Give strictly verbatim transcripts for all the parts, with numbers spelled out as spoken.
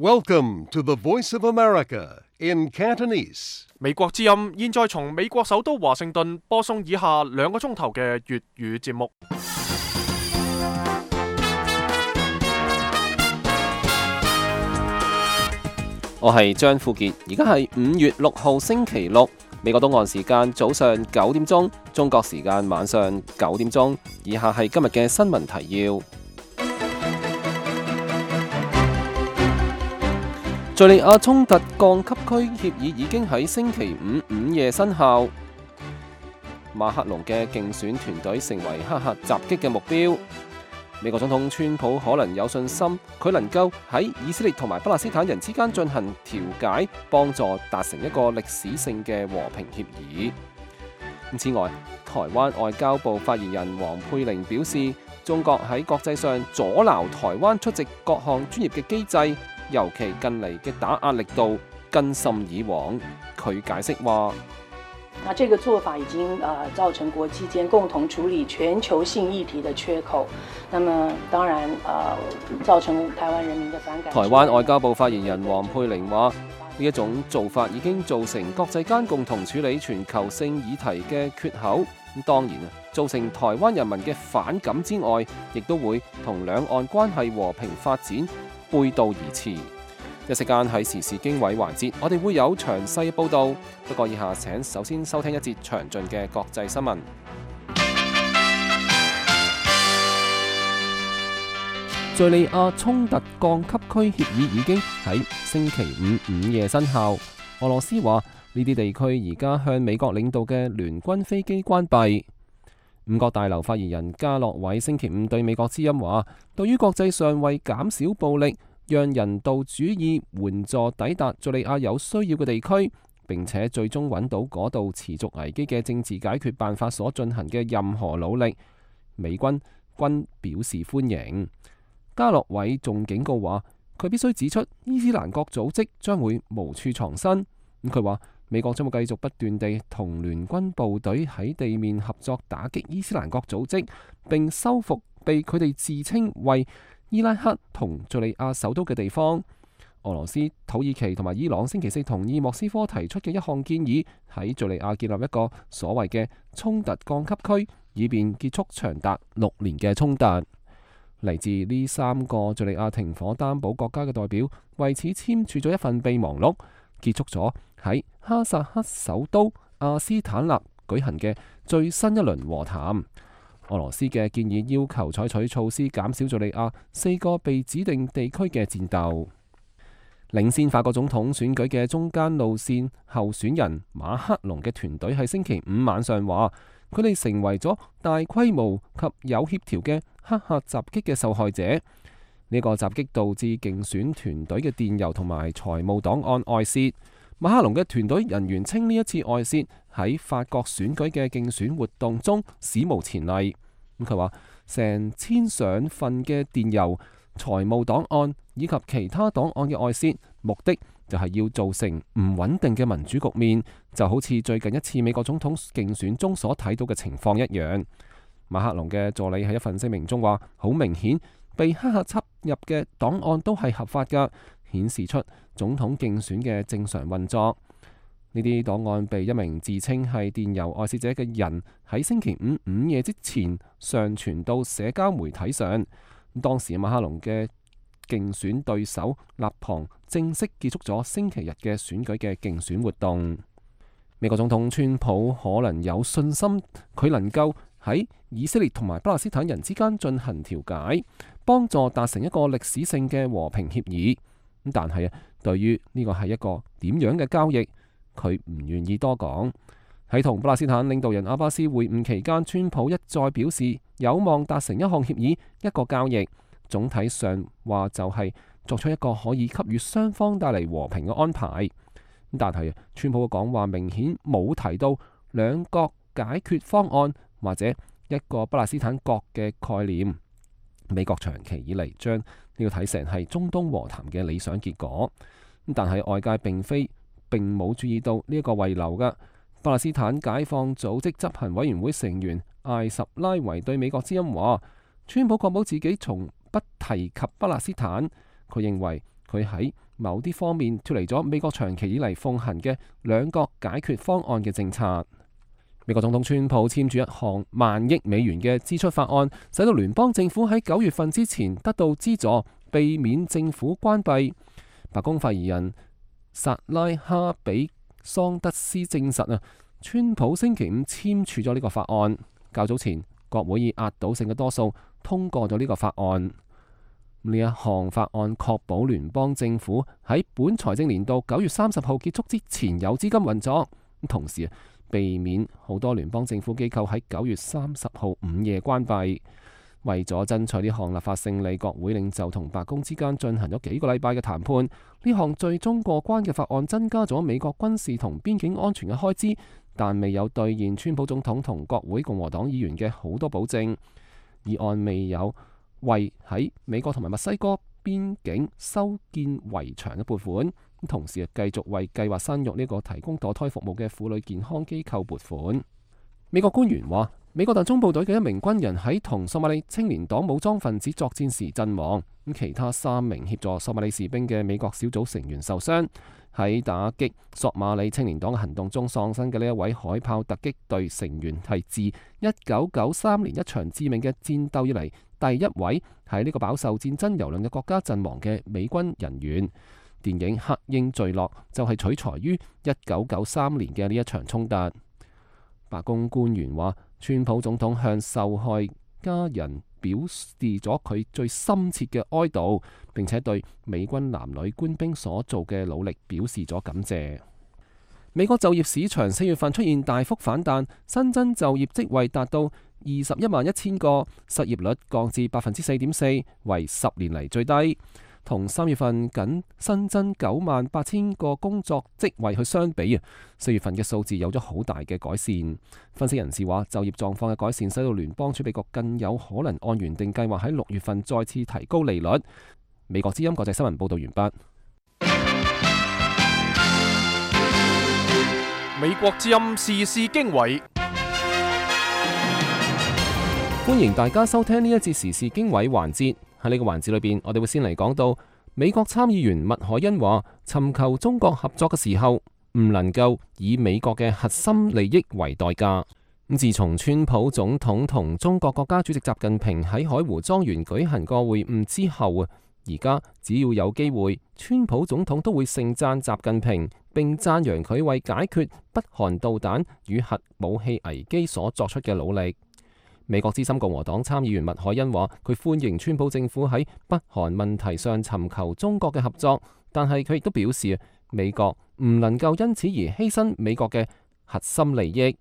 Welcome to the Voice of America in Cantonese. 美國之音現在從美國首都華盛頓播送以下兩個鐘頭嘅粵語節目。我係張富傑，而家係五月六號星期六，美國東岸時間早上九點鐘，中國時間晚上九點鐘。以下係今日嘅新聞提要。敘利亞衝突降級區協議已經喺星期五午夜生效。馬克龍嘅競選團隊成為黑客襲擊嘅目標。美國總統川普可能有信心，佢能夠喺以色列同埋巴勒斯坦人之間進行調解，幫助達成一個歷史性嘅和平協議。此外，台灣外交部發言人黃佩玲表示，中國喺國際上阻撓台灣出席各項專業嘅機制，尤其近嚟嘅打壓力度更甚以往。佢解釋話：那這個做法已經呃造成國際間共同處理全球性議題的缺口，那麼當然呃造成台灣人民的反感。台灣外交部發言人黃佩玲話：呢一種做法已經造成國際間共同處理全球性議題嘅缺口。咁當然啊，造成台灣人民嘅反感之外，亦都會同兩岸關係和平發展背道而馳。一時間喺時事經緯環節，我哋會有詳細報導。不過以下請首先收聽一節詳盡嘅國際新聞。敘利亞衝突降級區協議已經喺星期五午夜生效。俄羅斯話呢啲地區而家向美國領導嘅聯軍飛機關閉。五角大樓發言人加洛偉星期五對美國之音話：對於國際上為減少暴力，讓人道主義援助抵達敘利亞有需要嘅地區，並且最終揾到嗰度持續危機嘅政治解決辦法所進行嘅任何努力，美軍均表示歡迎。加洛偉仲警告話，佢必須指出伊斯蘭國組織將會無處藏身。咁佢話美國將會繼續不斷地同聯軍部隊喺地面合作打擊伊斯蘭國組織，並收復被佢哋自稱為伊拉克同敘利亞首都嘅地方。俄羅斯、土耳其同埋伊朗星期四同意莫斯科提出嘅一項建議，喺敘利亞建立一個所謂嘅衝突降級區，以便結束長達六年嘅衝突。嚟自呢三個敘利亞停火擔保國家嘅代表為此簽署咗一份備忘錄，結束咗喺哈薩克首都阿斯坦納舉行嘅最新一輪和談。俄羅斯嘅建議要求採取措施減少敘利亞四個被指定地區嘅戰鬥。領先法國總統選舉嘅中間路線候選人馬克龍嘅團隊喺星期五晚上話，佢哋成為咗大規模及有協調嘅黑客襲擊嘅受害者。呢、這個襲擊導致競選團隊嘅電郵同埋財務檔案外泄。馬克龍嘅團隊人員稱呢一次外泄喺法國選舉嘅競選活動中史無前例。咁佢話成千上份嘅電郵、財務檔案以及其他檔案嘅外泄，目的就係要造成唔穩定嘅民主局面，就好似最近一次美國總統競選中所睇到嘅情況一樣。馬克龍嘅助理喺一份聲明中話：好明顯，被黑客插入嘅檔案都係合法㗎，顯示出總統競選嘅正常運作。呢啲檔案被一名自稱係電郵外泄者嘅人喺星期五午夜之前上傳到社交媒體上。當時馬克龍嘅競選對手勒龐正式結束咗星期日嘅選舉嘅競選活動。美國總統川普可能有信心，佢能夠喺以色列同埋巴勒斯坦人之間進行調解，幫助達成一個歷史性嘅和平協議。但係啊，對於呢個係一個點樣嘅交易，佢唔願意多講。喺同巴勒斯坦領導人阿巴斯會晤期間，川普一再表示有望達成一項協議，一個交易。總體上話就係作出一個可以給予雙方帶嚟和平嘅安排。但係川普嘅講話明顯冇提到兩國解決方案或者一個巴勒斯坦國嘅概念。美國長期以嚟將呢個睇成係中東和談嘅理想結果，但係外界並非並冇注意到呢一個遺留嘅。巴勒斯坦解放組織執行委員會成員艾什拉維對美國之音話：川普確保自己從不提及巴勒斯坦。佢認為佢喺某啲方面脫離咗美國長期以嚟奉行嘅兩國解決方案嘅政策。美國總統川普簽署一項萬億美元嘅支出法案，使到聯邦政府喺九月份之前得到資助，避免政府關閉。白宮發言人薩拉哈比桑德斯證實啊，川普星期五簽署咗呢個法案。較早前，國會以壓倒性嘅多數通過咗呢個法案。呢一項法案確保聯邦政府喺本財政年度九月三十號結束之前有資金運作，同時避免好多聯邦政府機構喺九月三十號午夜關閉。為咗爭取呢項立法勝利，國會領袖同白宮之間進行咗幾個禮拜嘅談判。呢項最終過關嘅法案增加咗美國軍事同邊境安全嘅開支，但未有兌現川普總統同國會共和黨議員嘅好多保證。議案未有為喺美國同埋墨西哥邊境修建圍牆嘅撥款，同時繼續為計劃生育呢個提供墮胎服務嘅婦女健康機構撥款。美國官員話，美國特種部隊嘅一名軍人喺同索馬里青年黨武裝分子作戰時陣亡，咁其他三名協助索馬里士兵嘅美國小組成員受傷。喺打擊索馬里青年黨嘅行動中喪生嘅呢一位海豹突擊隊成員，係自一九九三年一場致命嘅戰鬥以嚟第一位喺呢個飽受戰爭蹂躪嘅國家陣亡嘅美軍人員。電影《黑鷹墜落》就係取材於一九九三年嘅呢一場衝突。白宮官員話，川普總統向受害家人表示咗佢最深切嘅哀悼，並且對美軍男女官兵所做嘅努力表示咗感謝。美國就業市場四月份出現大幅反彈，新增就業職位達到二十一萬一千個，失業率降至百分之四點四，為十年嚟最低。同三月份僅新增九萬八千個工作職位去相比啊，四月份嘅數字有咗好大嘅改善。分析人士話，就業狀況嘅改善使到聯邦儲備局更有可能按原定計劃喺六月份再次提高利率。美國之音國際新聞報道完畢。美國之音時事經緯，歡迎大家收聽呢一節時事經緯環節。喺呢個環節裏邊，我哋會先嚟講到美國參議員麥凱恩話，尋求中國合作嘅時候唔能夠以美國嘅核心利益為代價。咁自從川普總統同中國國家主席習近平喺海湖莊園舉行過會晤之後啊，而家只要有機會，川普總統都會盛讚習近平，並讚揚佢為解決北韓導彈與核武器危機所作出嘅努力。美國資深共和黨參議員麥凱恩話，佢歡迎川普政府喺北韓問題上尋求中國嘅合作，但係佢亦都表示，美國唔能夠因此而犧牲美國嘅核心利益。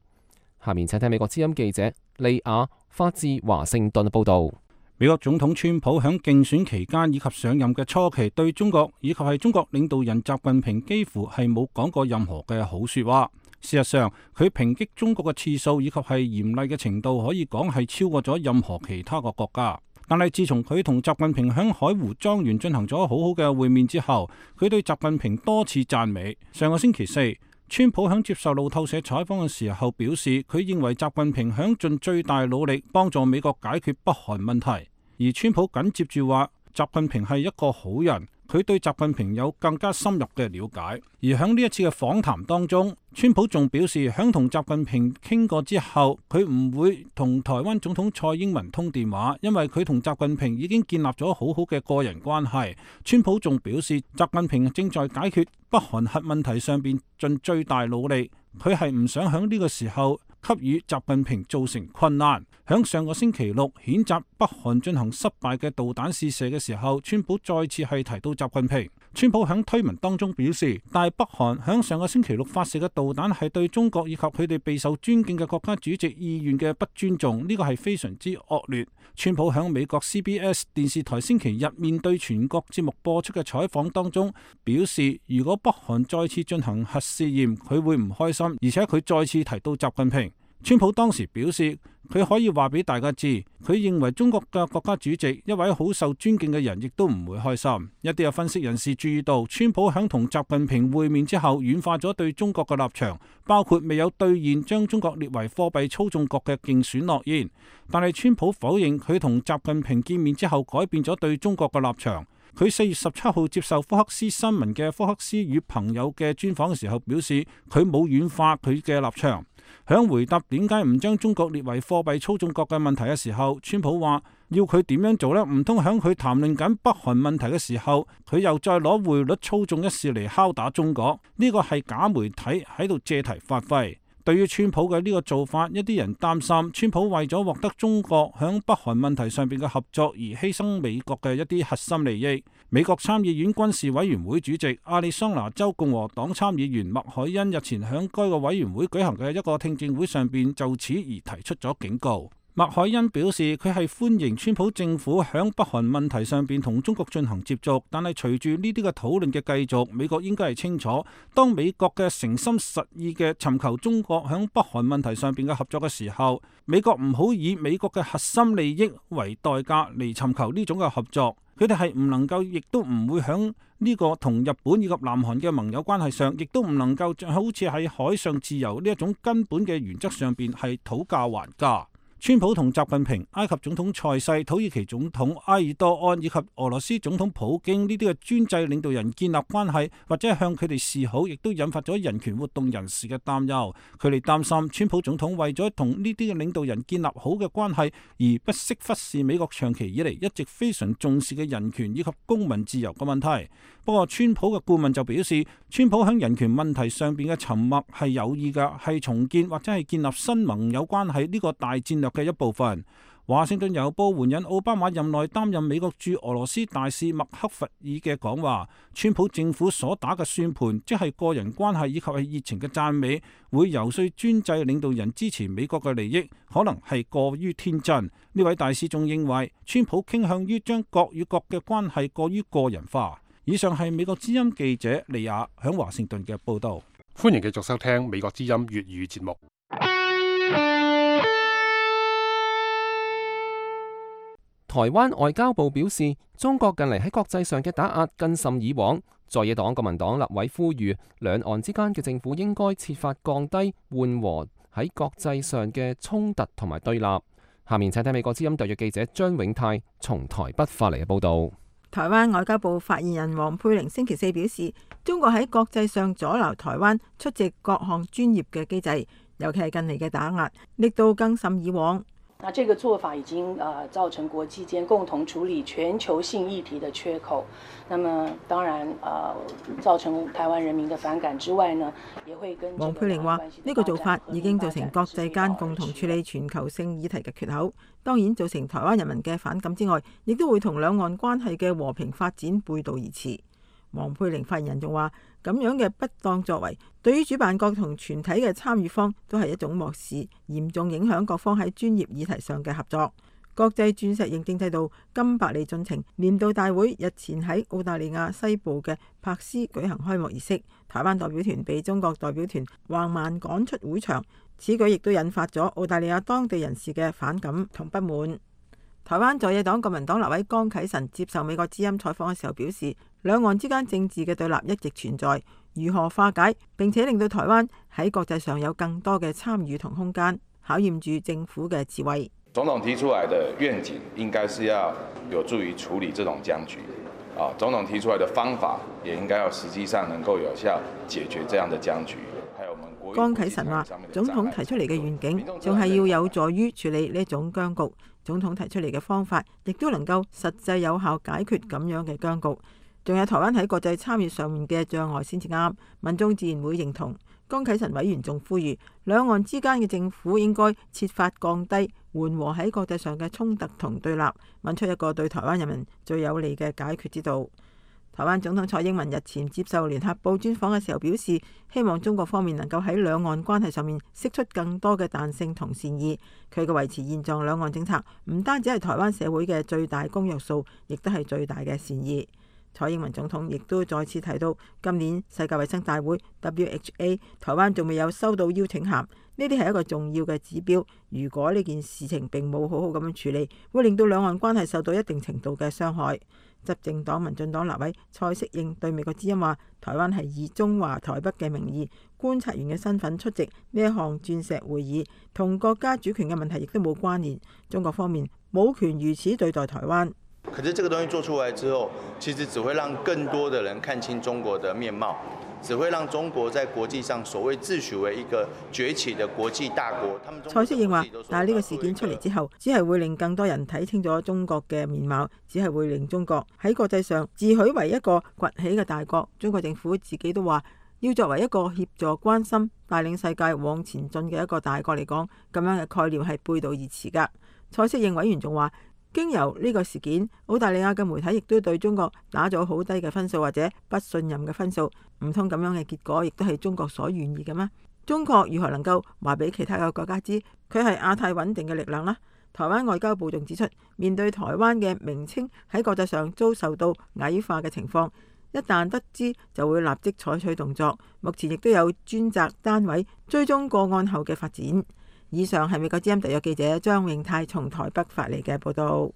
下面請聽美國之音記者利亞發自華盛頓報道。美國總統川普喺競選期間以及上任嘅初期，對中國以及係中國領導人習近平幾乎係冇講過任何嘅好說話。事實上，佢抨擊中國嘅次數以及係嚴厲嘅程度，可以講係超過咗任何其他個國家。但係自從佢同習近平喺海湖莊園進行咗好好嘅會面之後，佢對習近平多次讚美。上個星期四，川普喺接受路透社採訪嘅時候表示，佢認為習近平響盡最大努力幫助美國解決北韓問題。而川普緊接住話，習近平係一個好人。佢對習近平有更加深入嘅了解，而喺呢一次嘅訪談當中，川普仲表示，響同習近平傾過之後，佢唔會同台灣總統蔡英文通電話，因為佢同習近平已經建立咗好好嘅個人關係。川普仲表示，習近平正在解決北韓核問題上邊盡最大努力，佢係唔想響呢個時候給予習近平造成困難。響上個星期六譴責北韓進行失敗嘅導彈試射嘅時候，川普再次係提到習近平。川普響推文當中表示，大北韓響上個星期六發射嘅導彈係對中國以及佢哋備受尊敬嘅國家主席意願嘅不尊重，呢個係非常之惡劣。川普響美國 C B S 電視台星期日面對全國節目播出嘅採訪當中表示，如果北韓再次進行核試驗，佢會唔開心，而且佢再次提到習近平。川普當時表示，佢可以話俾大家知，佢認為中國嘅國家主席一位好受尊敬嘅人，亦都唔會開心。一啲嘅分析人士注意到，川普響同習近平會面之後，軟化咗對中國嘅立場，包括未有兌現將中國列為貨幣操縱國嘅競選諾言。但係川普否認佢同習近平見面之後改變咗對中國嘅立場。佢四月十七號接受福克斯新聞嘅福克斯與朋友嘅專訪嘅時候表示，佢冇軟化佢嘅立場。響回答點解唔將中國列為貨幣操縱國嘅問題嘅時候，川普話要佢點樣做呢？唔通響佢談論緊北韓問題嘅時候，佢又再攞匯率操縱一事嚟敲打中國？呢個係假媒體喺度借題發揮。對於川普嘅呢個做法，一啲人擔心川普為咗獲得中國響北韓問題上邊嘅合作而犧牲美國嘅一啲核心利益。美國參議院軍事委員會主席亞利桑那州共和黨參議員麥凱恩日前響該個委員會舉行嘅一個聽證會上邊就此而提出咗警告。麥凱恩表示，佢係歡迎川普政府響北韓問題上邊同中國進行接觸，但係隨住呢啲嘅討論嘅繼續，美國應該係清楚，當美國嘅誠心實意嘅尋求中國響北韓問題上邊嘅合作嘅時候，美國唔好以美國嘅核心利益為代價嚟尋求呢種嘅合作。佢哋係唔能夠，亦都唔會響呢個同日本以及南韓嘅盟友關係上，亦都唔能夠好似喺海上自由呢一種根本嘅原則上邊係討價還價。川普同習近平、埃及總統塞西、土耳其總統埃爾多安以及俄羅斯總統普京呢啲嘅專制領導人建立關係，或者向佢哋示好，亦都引發咗人權活動人士嘅擔憂。佢哋擔心川普總統為咗同呢啲嘅領導人建立好嘅關係，而不惜忽視美國長期以嚟一直非常重視嘅人權以及公民自由嘅問題。不過，川普嘅顧問就表示，川普喺人權問題上邊嘅沉默係有意嘅，係重建或者係建立新盟友關係呢個大戰略嘅一部分。華盛頓郵報援引奧巴馬任內擔任美國駐俄羅斯大使麥克弗爾嘅講話，川普政府所打嘅算盤，即係個人關係以及係熱情嘅讚美，會游說專制領導人支持美國嘅利益，可能係過於天真。呢位大使仲認為，川普傾向於將國與國嘅關係過於個人化。以上係美國之音記者利亞響華盛頓嘅報道。歡迎繼續收聽美國之音粵語節目。台灣外交部表示，中國近嚟喺國際上嘅打壓更甚以往。在野黨國民黨立委呼籲，兩岸之間嘅政府應該設法降低緩和喺國際上嘅衝突同埋對立。下面請睇美國之音特約記者張永泰從台北發嚟嘅報導。台灣外交部發言人黃佩玲星期四表示，中國喺國際上阻撓台灣出席各項專業嘅機制，尤其係近嚟嘅打壓力度更甚以往。那這個做法已經呃造成國際間共同處理全球性議題的缺口，那麼當然呃造成台灣人民的反感之外呢，也會跟黃佩玲話呢個做法已經造成國際間共同處理全球性議題嘅缺口，當然造成台灣人民嘅反感之外，亦都會同兩岸關係嘅和平發展背道而馳。黃佩玲發言人仲話，咁樣嘅不當作為，對於主辦國同全體嘅參與方都係一種漠視，嚴重影響各方喺專業議題上嘅合作。國際鑽石認證制度金百利進程年度大會日前喺澳大利亞西部嘅柏斯舉行開幕儀式，台灣代表團被中國代表團橫蠻趕出會場，此舉亦都引發咗澳大利亞當地人士嘅反感同不滿。台灣在野黨國民黨立委江啟臣接受美國之音採訪嘅時候表示，兩岸之間政治嘅對立一直存在，如何化解並且令到台灣喺國際上有更多嘅參與同空間，考驗住政府嘅智慧。總統提出來的願景應該是要有助於處理這種僵局，啊，總統提出來的方法也應該要實際上能夠有效解決這樣的僵局。江啟臣話，總統提出嚟嘅願景仲係要有助於處理呢種僵局，總統提出嚟嘅方法亦都能夠實際有效解決咁樣嘅僵局。仲有台灣喺國際參與上面嘅障礙先至啱，民眾自然會認同。江啟臣委員仲呼籲，兩岸之間嘅政府應該設法降低緩和喺國際上嘅衝突同對立，揾出一個對台灣人民最有利嘅解決之道。台灣總統蔡英文日前接受聯合報專訪嘅時候表示，希望中國方面能夠喺兩岸關係上面釋出更多嘅彈性同善意。佢嘅維持現狀兩岸政策唔單止係台灣社會嘅最大公約數，亦都係最大嘅善意。蔡英文總統亦都再次提到，今年世界衛生大會 W H A 台灣仲未有收到邀請函，呢啲係一個重要嘅指標。如果呢件事情並冇好好咁樣處理，會令到兩岸關係受到一定程度嘅傷害。執政黨民進黨立委蔡適應對美國之音話，台灣係以中華台北嘅名義觀察員嘅身份出席呢一項鑽石會議，同國家主權嘅問題亦都冇關聯。中國方面冇權如此對待台灣。可是這個東西做出來之後，其實只會讓更多的人看清中國的面貌，只會讓中國在國際上所謂自詡為一個崛起的國際大國。蔡適應話，但係呢個事件出嚟之後，只係會令更多人睇清楚中國嘅面貌，只係會令中國喺國際上自詡為一個崛起嘅大國。中國政府自己都話，要作為一個協助、關心、帶領世界往前進嘅一個大國嚟講，咁樣嘅概念係背道而馳㗎。蔡適應委員仲話，經由呢個事件，澳大利亞嘅媒體亦都對中國打咗好低嘅分數或者不信任嘅分數，唔通咁樣嘅結果亦都係中國所願意嘅咩？中國如何能夠話俾其他嘅國家知佢係亞太穩定嘅力量呢？台灣外交部仲指出，面對台灣嘅名稱喺國際上遭受到矮化嘅情況，一旦得知就會立即採取動作。目前亦都有專責單位追蹤個案後嘅發展。以上係美國之音特約記者張永泰從台北發嚟嘅報道。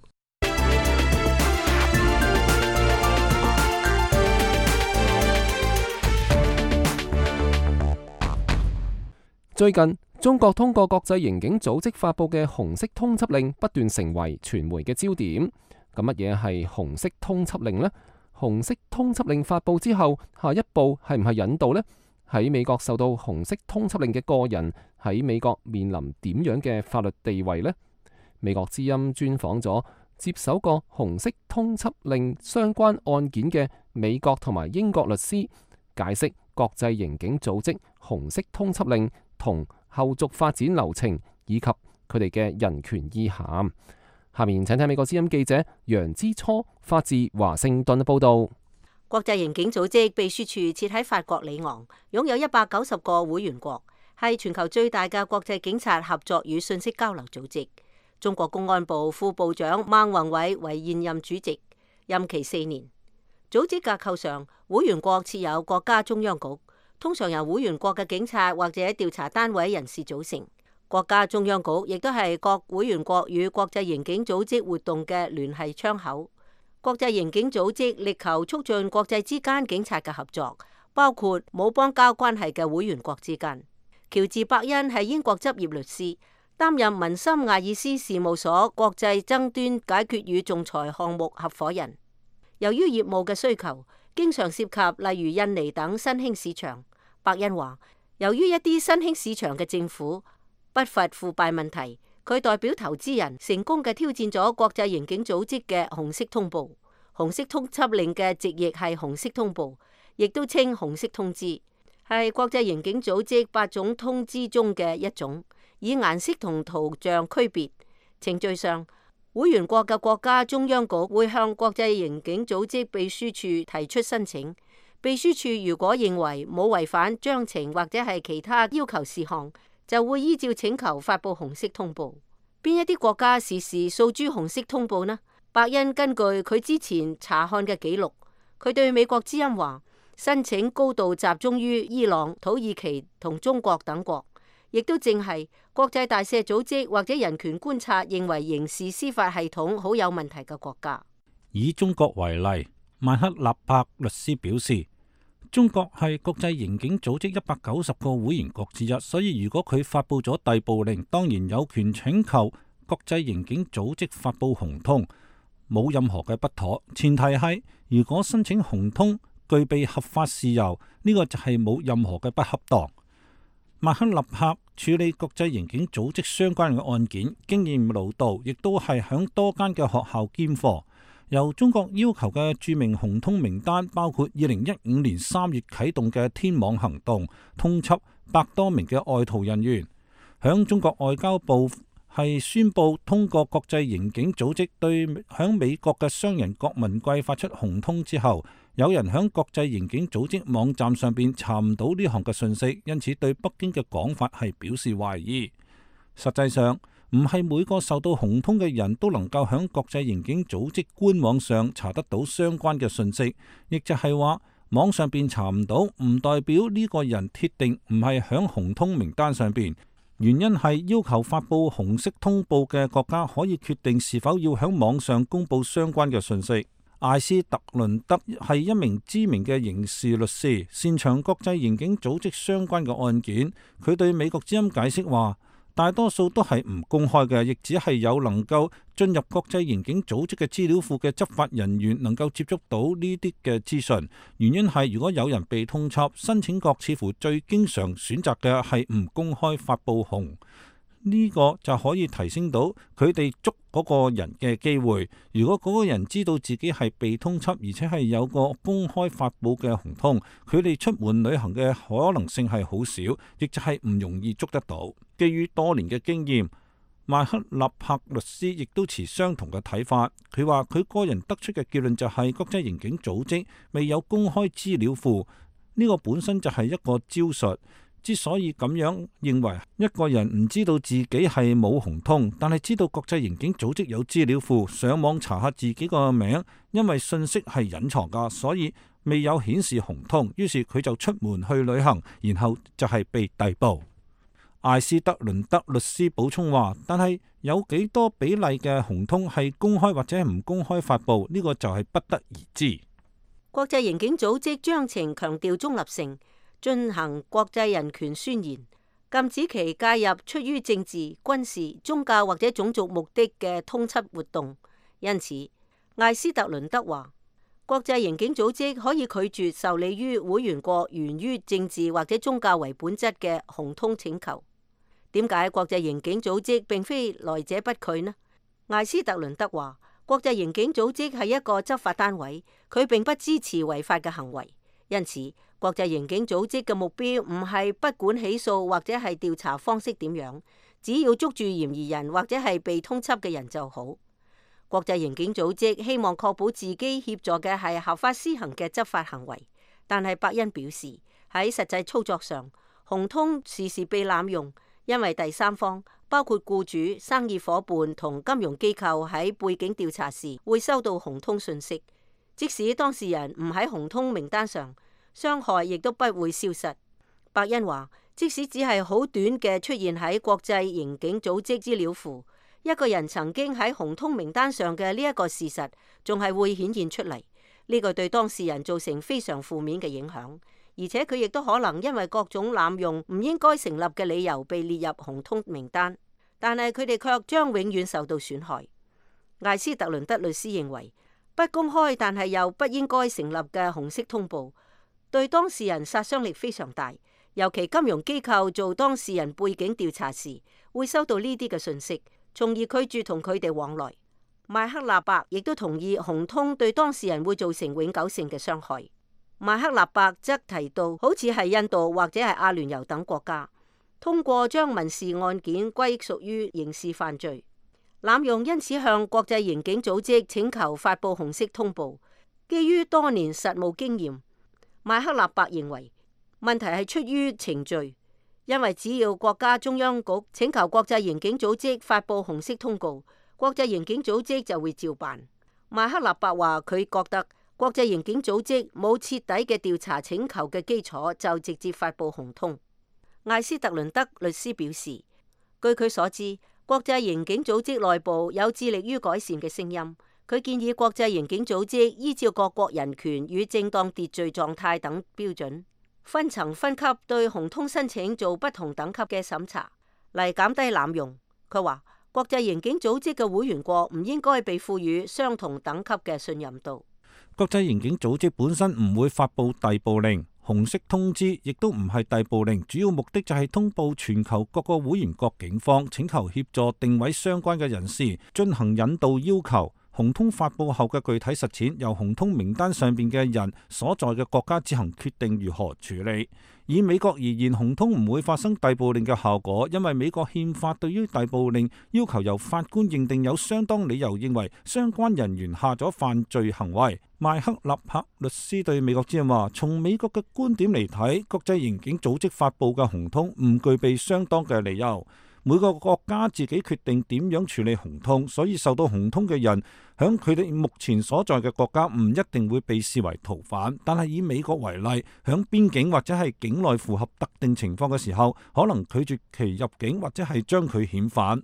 最近，中國通過國際刑警組織發佈嘅紅色通緝令不斷成為傳媒嘅焦點。咁乜嘢係紅色通緝令呢？紅色通緝令發佈之後，下一步係唔係引渡呢？喺美國受到紅色通緝令嘅個人喺美國面臨點樣嘅法律地位呢？美國之音專訪咗接手過紅色通緝令相關案件嘅美國同埋英國律師，解釋國際刑警組織紅色通緝令同後續發展流程以及佢哋嘅人權意涵。下面請睇美國之音記者楊之初發自華盛頓嘅報道。國際刑警組織秘書處設喺法國里昂，擁有一百九十個會員國，係全球最大嘅國際警察合作與信息交流組織。中國公安部副部長孟宏偉為現任主席，任期四年。組織架構上，會員國設有國家中央局，通常由會員國嘅警察或者調查單位人士組成。國家中央局亦都係各會員國與國際刑警組織活動嘅聯繫窗口。國際刑警組織力求促進國際之間警察嘅合作，包括冇邦交關係嘅會員國之間。喬治·伯恩係英國執業律師，擔任文森亞爾斯事務所國際爭端解決與仲裁項目合夥人。由於業務嘅需求，經常涉及例如印尼等新興市場。伯恩話，由於一啲新興市場嘅政府不乏腐敗問題，佢代表投資人成功嘅挑戰咗國際刑警組織嘅紅色通報。紅色通緝令嘅直譯係紅色通報，亦都稱紅色通知，係國際刑警組織八種通知中嘅一種，以顏色同圖像區別。程序上，會員國嘅國家中央局會向國際刑警組織秘書處提出申請，秘書處如果認為冇違反章程或者係其他要求事項，就會依照請求發佈紅色通報。邊一啲國家時時訴諸紅色通報呢？伯恩根據佢之前查看嘅記錄，佢對美國之音話，申請高度集中於伊朗、土耳其同中國等國，亦都正係國際大赦組織或者人權觀察認為刑事司法系統好有問題嘅國家。以中國為例，曼克納柏律師表示，中國係國際刑警組織一百九十個會員國之一，所以如果佢發佈咗逮捕令，當然有權請求國際刑警組織發佈紅通，冇任何嘅不妥。前提係如果申請紅通具備合法事由，呢、這個就係冇任何嘅不恰當。麥克納柏處理國際刑警組織相關嘅案件，經驗老道，亦都係響多間嘅學校兼課。由中國要求嘅著名紅通名單包括二零一五年三月啟動嘅天網行動，通緝百多名嘅外逃人員。響中國外交部係宣布通過國際刑警組織對響美國嘅商人郭文貴發出紅通之後，有人響國際刑警組織網站上邊查唔到呢項嘅信息，因此對北京嘅講法係表示懷疑。實際上，唔係每個受到紅通嘅人都能夠響國際刑警組織官網上查得到相關嘅信息，亦就係話網上邊查唔到，唔代表呢個人鐵定唔係響紅通名單上邊。原因係要求發佈紅色通報嘅國家可以決定是否要響網上公佈相關嘅信息。艾斯特倫德係一名知名嘅刑事律師，擅長國際刑警組織相關嘅案件。佢對美國之音解釋話，大多數都係唔公開嘅，亦只係有能夠進入國際刑警組織嘅資料庫嘅執法人員能夠接觸到呢啲嘅資訊。原因係如果有人被通緝，申請國似乎最經常選擇嘅係唔公開發布紅。呢個就可以提升到佢哋捉嗰個人嘅機會。如果嗰個人知道自己係被通緝，而且係有個公開發布嘅紅通，佢哋出門旅行嘅可能性係好少，亦就係唔容易捉得到。基於多年嘅經驗，麥克納柏律師亦都持相同嘅睇法。佢話佢個人得出嘅結論就係國際刑警組織未有公開資料庫，呢個本身就係一個招數。之所以咁樣認為，一個人唔知道自己係冇紅通，但係知道國際刑警組織有資料庫，上網查下自己個名，因為信息係隱藏噶，所以未有顯示紅通，於是佢就出門去旅行，然後就係被逮捕。艾斯特倫德律師補充話，但係有幾多比例嘅紅通係公開或者唔公開發布，呢個就係不得而知。國際刑警組織章程強調中立性，進行國際人權宣言，禁止其介入出於政治、軍事、宗教或者種族目的嘅通緝活動。因此，艾斯特倫德話，國際刑警組織可以拒絕受理於會員國源於政治或者宗教為本質嘅紅通請求。點解國際刑警組織並非來者不拒呢？艾斯特倫德話，國際刑警組織係一個執法單位，佢並不支持違法嘅行為，因此國際刑警組織嘅目標唔係不管起訴或者係調查方式點樣，只要捉住嫌疑人或者係被通緝嘅人就好。國際刑警組織希望確保自己協助嘅係合法施行嘅執法行為，但係伯恩表示喺實際操作上，紅通時時被濫用。因為第三方包括僱主、生意夥伴同金融機構喺背景調查時會收到紅通訊息，即使當事人唔喺紅通名單上，傷害亦都不會消失。伯恩話，即使只係好短嘅出現喺國際刑警組織資料庫，一個人曾經喺紅通名單上嘅呢一個事實，仲係會顯現出嚟。呢個對當事人造成非常負面嘅影響。而且佢亦都可能因為各種濫用唔應該成立嘅理由被列入紅通名單，但係佢哋卻將永遠受到損害。艾斯特倫德律師認為，不公開但係又不應該成立嘅紅色通報對當事人殺傷力非常大，尤其金融機構做當事人背景調查時會收到呢啲嘅信息，從而拒絕同佢哋往來。麥克納伯亦都同意紅通對當事人會造成永久性嘅傷害。麥克納伯則提到，好似係印度或者係阿聯酋等國家，通過將民事案件歸屬於刑事犯罪，濫用因此向國際刑警組織請求發布紅色通報。基於多年實務經驗，麥克納伯認為問題係出於程序，因為只要國家中央局請求國際刑警組織發布紅色通告，國際刑警組織就會照辦。麥克納伯話佢覺得國際刑警組織冇徹底嘅調查請求嘅基礎，就直接發布紅通。艾斯特倫德律師表示，據佢所知，國際刑警組織內部有致力於改善嘅聲音。佢建議國際刑警組織依照各國人權與正當秩序狀態等標準，分層分級對紅通申請做不同等級嘅審查，嚟減低濫用。佢話，國際刑警組織嘅會員國唔應該被賦予相同等級嘅信任度。國際刑警組織本身唔會發布逮捕令，紅色通知亦都唔係逮捕令，主要目的就係通報全球各個會員國警方，請求協助定位相關嘅人士，進行引導要求。紅通發布後嘅具體實踐，由紅通名單上邊嘅人所在嘅國家自行決定如何處理。以美國而言，紅通唔會發生逮捕令嘅效果，因為美國憲法對於逮捕令要求由法官認定有相當理由認為相關人員下咗犯罪行為。麥克納柏律師對美國之音話，從美國嘅觀點嚟睇，國際刑警組織發布嘅紅通唔具備相當嘅理由。每個國家自己決定點樣處理紅通，所以受到紅通嘅人響佢哋目前所在嘅國家唔一定會被視為逃犯，但係以美國為例，響邊境或者係境內符合特定情況嘅時候，可能拒絕其入境或者係將佢遣返。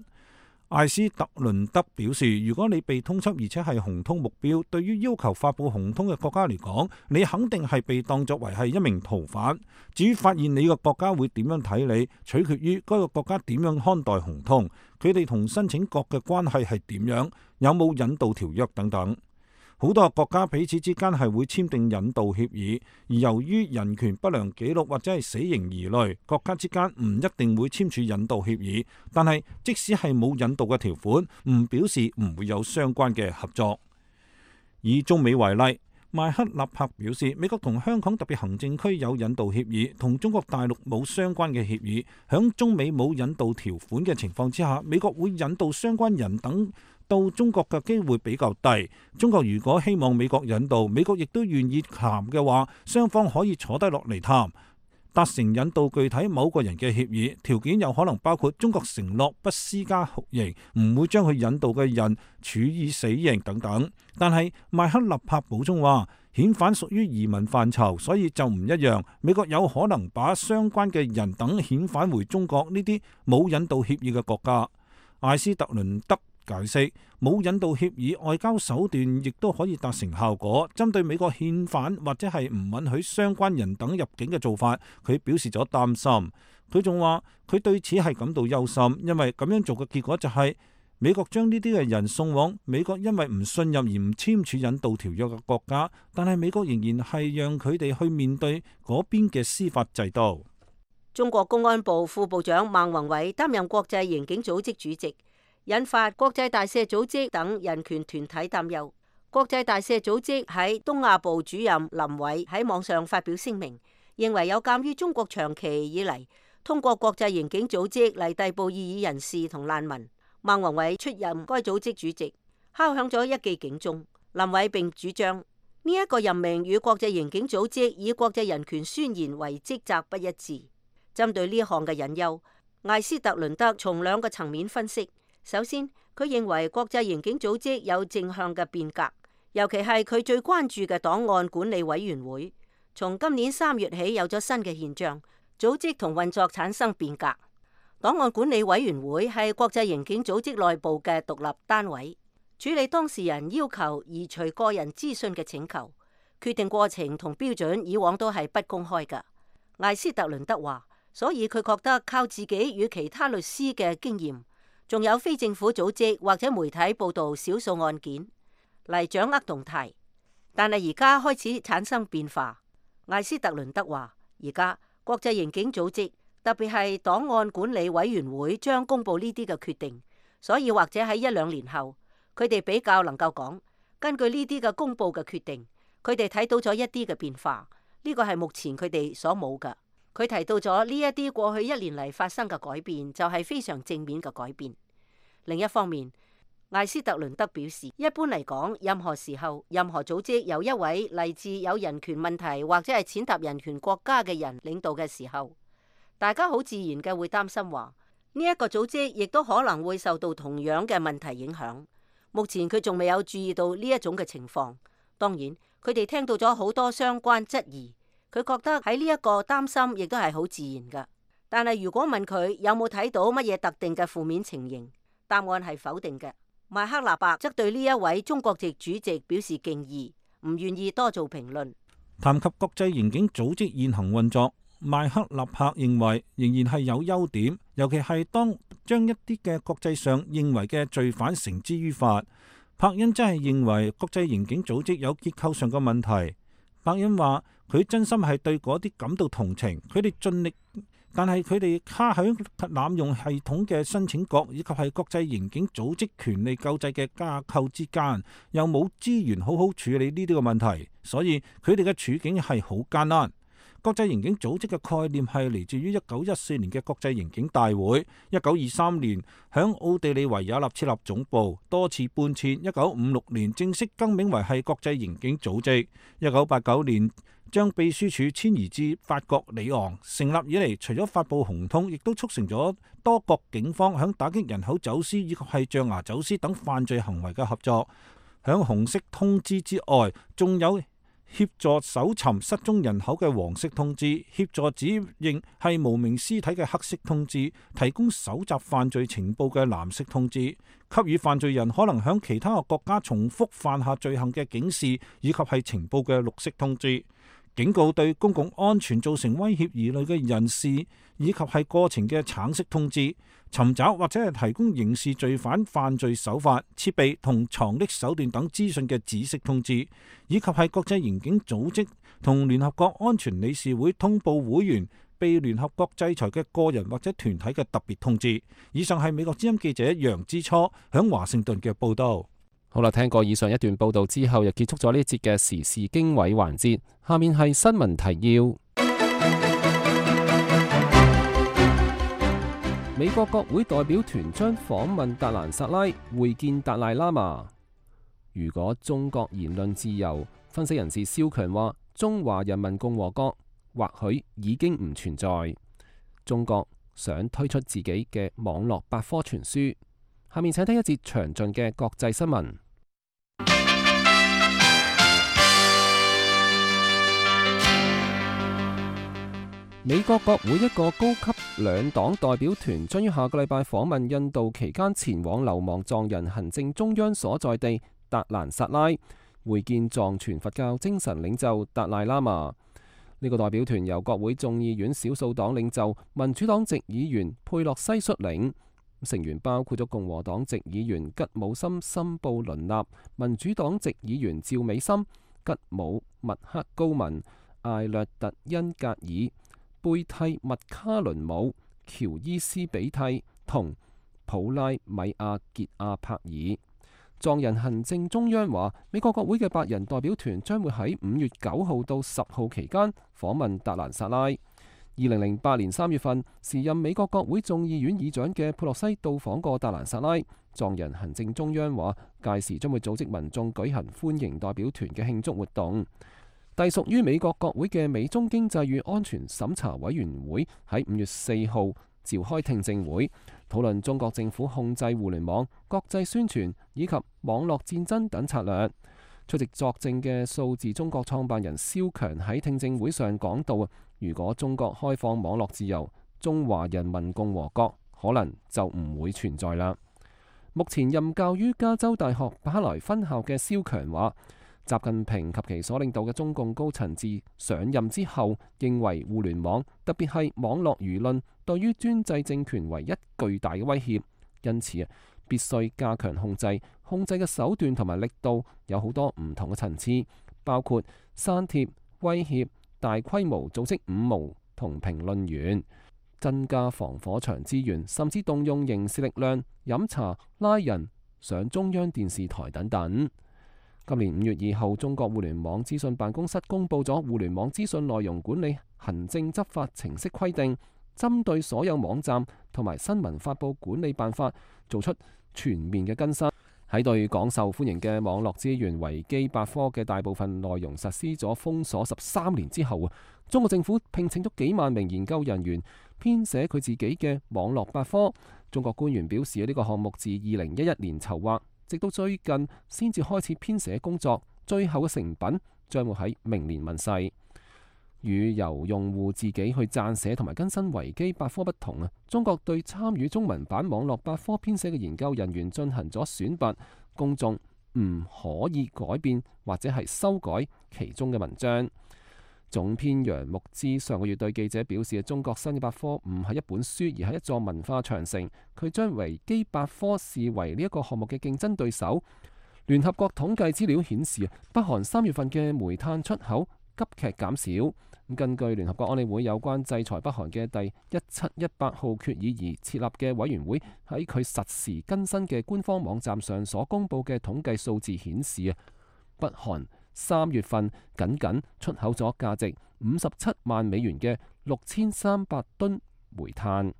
艾斯特倫德表示，如果你被通緝而且係紅通目標，對於要求發布紅通嘅國家嚟講，你肯定係被當作為係一名逃犯。至於發現你個國家會點樣睇你，取決於該個國家點樣看待紅通，佢哋同申請國嘅關係係點樣，有冇引渡條約等等。好多國家彼此之間係會簽訂引渡協議，而由於人權不良記錄或者係死刑疑慮，國家之間唔一定會簽署引渡協議。但係即使係冇引渡嘅條款，唔表示唔會有相關嘅合作。以中美為例，邁克納帕表示，美國同香港特別行政區有引渡協議，同中國大陸冇相關嘅協議。響中美冇引渡條款嘅情況之下，美國會引渡相關人等到中國嘅機會比較低。中國如果希望美國引渡，美國亦都願意談嘅話，雙方可以坐低落嚟談，達成引渡具體某個人嘅協議。條件有可能包括中國承諾不施加酷刑，唔會將佢引渡嘅人處以死刑等等。但係邁克納帕補充話，遣返屬於移民範疇，所以就唔一樣。美國有可能把相關嘅人等遣返回中國呢啲冇引渡協議嘅國家。艾斯特倫德解釋，冇引渡協議，外交手段亦都可以達成效果。針對美國遣返或者係唔允許相關人等入境嘅做法，佢表示咗擔心。佢仲話佢對此係感到憂心，因為咁樣做嘅結果就係美國將呢啲嘅人送往美國因為唔信任而唔簽署引渡條約嘅國家，但係美國仍然係讓佢哋去面對嗰邊嘅司法制度。中國公安部副部長孟宏偉擔任國際刑警組織主席，引發國際大赦組織等人權團體擔憂。國際大赦組織喺東亞部主任林偉喺網上發表聲明，認為有鑑於中國長期以嚟通過國際刑警組織嚟逮捕異議人士同難民，孟宏偉出任該組織主席，敲響咗一記警鐘。林偉並主張呢一個任命與國際刑警組織以國際人權宣言為職責不一致。針對呢一項嘅隱憂，艾斯特倫德從兩個層面分析。首先，佢認為國際刑警組織有正向嘅變革，尤其係佢最關注嘅檔案管理委員會，從今年三月起有咗新嘅現象，組織同運作產生變革。檔案管理委員會係國際刑警組織內部嘅獨立單位，處理當事人要求移除個人資訊嘅請求，決定過程同標準以往都係不公開㗎。艾斯特倫德話，所以佢覺得靠自己與其他律師嘅經驗，仲有非政府組織或者媒體報道少數案件嚟掌握動態，但係而家開始產生變化。艾斯特倫德話，而家國際刑警組織特別係檔案管理委員會將公布呢啲嘅決定，所以或者喺一兩年後，佢哋比較能夠講，根據呢啲嘅公布嘅決定，佢哋睇到咗一啲嘅變化，呢個係目前佢哋所冇㗎。佢提到咗呢一啲過去一年嚟發生嘅改變，就係非常正面嘅改變。另一方面，艾斯特倫德表示，一般嚟講，任何時候、任何組織由一位嚟自有人權問題或者係踐踏人權國家嘅人領導嘅時候，大家好自然嘅會擔心話，呢一個組織亦都可能會受到同樣嘅問題影響。目前佢仲未有注意到呢一種嘅情況。當然，佢哋聽到咗好多相關質疑。佢覺得喺呢一個擔心亦都係好自然㗎，但係如果問佢有冇睇到乜嘢特定嘅負面情形，答案係否定嘅。邁克納伯則對呢一位中國籍主席表示敬意，唔願意多做評論。談及國際刑警組織現行運作，邁克納伯認為仍然係有優點，尤其係當將一啲嘅國際上認為嘅罪犯繩之於法。柏恩真係認為國際刑警組織有結構上嘅問題。柏恩話佢真心係對嗰啲感到同情，佢哋盡力，但係佢哋卡喺濫用系統嘅申請國以及係國際刑警組織權利救濟嘅架構之間，又冇資源好好處理呢啲嘅問題，所以佢哋嘅處境係好艱難。國際刑警組織嘅概念係嚟自於一九一四年嘅國際刑警大會，一九二三年響奧地利維也納設立總部，多次搬遷，一九五六年正式更名為係國際刑警組織，一九八九年將秘書處遷移至法國里昂。成立以嚟，除咗發布紅通，亦都促成咗多國警方響打擊人口走私以及係象牙走私等犯罪行為嘅合作。響紅色通知之外，仲有協助搜尋失蹤人口嘅黃色通知，協助指認係無名屍體嘅黑色通知，提供搜集犯罪情報嘅藍色通知，給予犯罪人可能響其他國家重複犯下罪行嘅警示，以及係情報嘅綠色通知，警告對公共安全造成威脅疑慮嘅人士，以及係過程嘅橙色通知，尋找或者係提供刑事罪犯犯罪手法、設備同藏匿手段等資訊嘅紫色通知，以及係國際刑警組織同聯合國安全理事會通報會員被聯合國制裁嘅個人或者團體嘅特別通知。以上係美國之音記者楊之初響華盛頓嘅報道。好啦，聽過以上一段報道之後，又結束咗呢一節嘅時事經緯環節。下面係新聞提要。美國國會代表團將訪問達蘭薩拉，會見達賴喇嘛。如果中國言論自由，分析人士蕭強話，中華人民共和國或許已經唔存在。中國想推出自己嘅網絡百科全書。下面請聽一節詳盡嘅國際新聞。美國國會一個高級兩黨代表團將於下個禮拜訪問印度，期間前往流亡藏人行政中央所在地達蘭薩拉，會見藏傳佛教精神領袖達賴喇嘛。呢個代表團由國會眾議院少數黨領袖民主黨籍議員佩洛西率領，成員包括咗共和黨籍議員吉姆森森布倫納、民主黨籍議員趙美森、吉姆麥克高文、艾略特恩格爾、貝蒂麥卡倫姆、喬伊斯比蒂同普拉米亞傑亞帕爾。藏人行政中央話，美國國會嘅八人代表團將會喺五月九號到十號期間訪問達蘭薩拉。二零零八年三月份，時任美國國會眾議院議長嘅佩洛西到訪過達蘭薩拉。藏人行政中央話，屆時將會組織民眾舉行歡迎代表團嘅慶祝活動。隸屬於美國國會嘅美中經濟與安全審查委員會喺五月四號召開聽證會，討論中國政府控制互聯網、國際宣傳以及網絡戰爭等策略。出席作證嘅數字中國創辦人蕭強喺聽證會上講到，如果中國開放網絡自由，中華人民共和國可能就唔會存在啦。目前任教於加州大學伯克萊分校嘅蕭強話，習近平及其所領導嘅中共高層自上任之後，認為互聯網，特別係網絡輿論，對於專制政權為一巨大嘅威脅，因此啊，必須加強控制，控制嘅手段同埋力度有好多唔同嘅層次，包括刪帖、威脅、大規模組織五毛同評論員，增加防火牆資源，甚至動用刑事力量、飲茶、拉人、上中央電視台等等。今年五月二號，中國互聯網資訊辦公室公佈咗《互聯網資訊內容管理行政執法程式規定》，針對所有網站同埋新聞發佈管理辦法做出全面嘅更新。喺對廣受歡迎嘅網絡資源維基百科嘅大部分內容實施咗封鎖十三年之後啊，中國政府聘請咗幾萬名研究人員編寫佢自己嘅網絡百科。中國官員表示，呢個項目自二零一一年籌劃，直到最近先至開始編寫工作，最後嘅成品將會喺明年問世。與由用戶自己去撰寫同埋更新維基百科不同啊，中國對參與中文版網絡百科編寫嘅研究人員進行咗選拔，公眾唔可以改變或者係修改其中嘅文章。總編楊牧之上個月對記者表示，中國新嘅百科唔係一本書，而係一座文化長城。佢將維基百科視為呢一個項目嘅競爭對手。聯合國統計資料顯示，北韓三月份嘅煤炭出口急劇減少。根據聯合國安理會有關制裁北韓嘅第一七一八號決議而設立嘅委員會，喺佢實時更新嘅官方網站上所公佈嘅統計數字顯示啊，北韓三月份僅僅出口咗價值五十七萬美元嘅六千三百噸煤炭。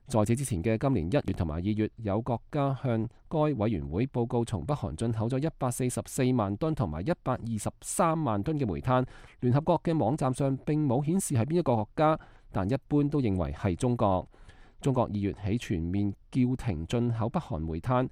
在此之前嘅今年一月同埋二月，有國家向該委員會報告從北韓進口咗一百四十四萬噸同埋一百二十三萬噸嘅煤炭。聯合國嘅網站上並冇顯示係邊一個國家，但一般都認為係中國。中國二月起全面叫停進口北韓煤炭。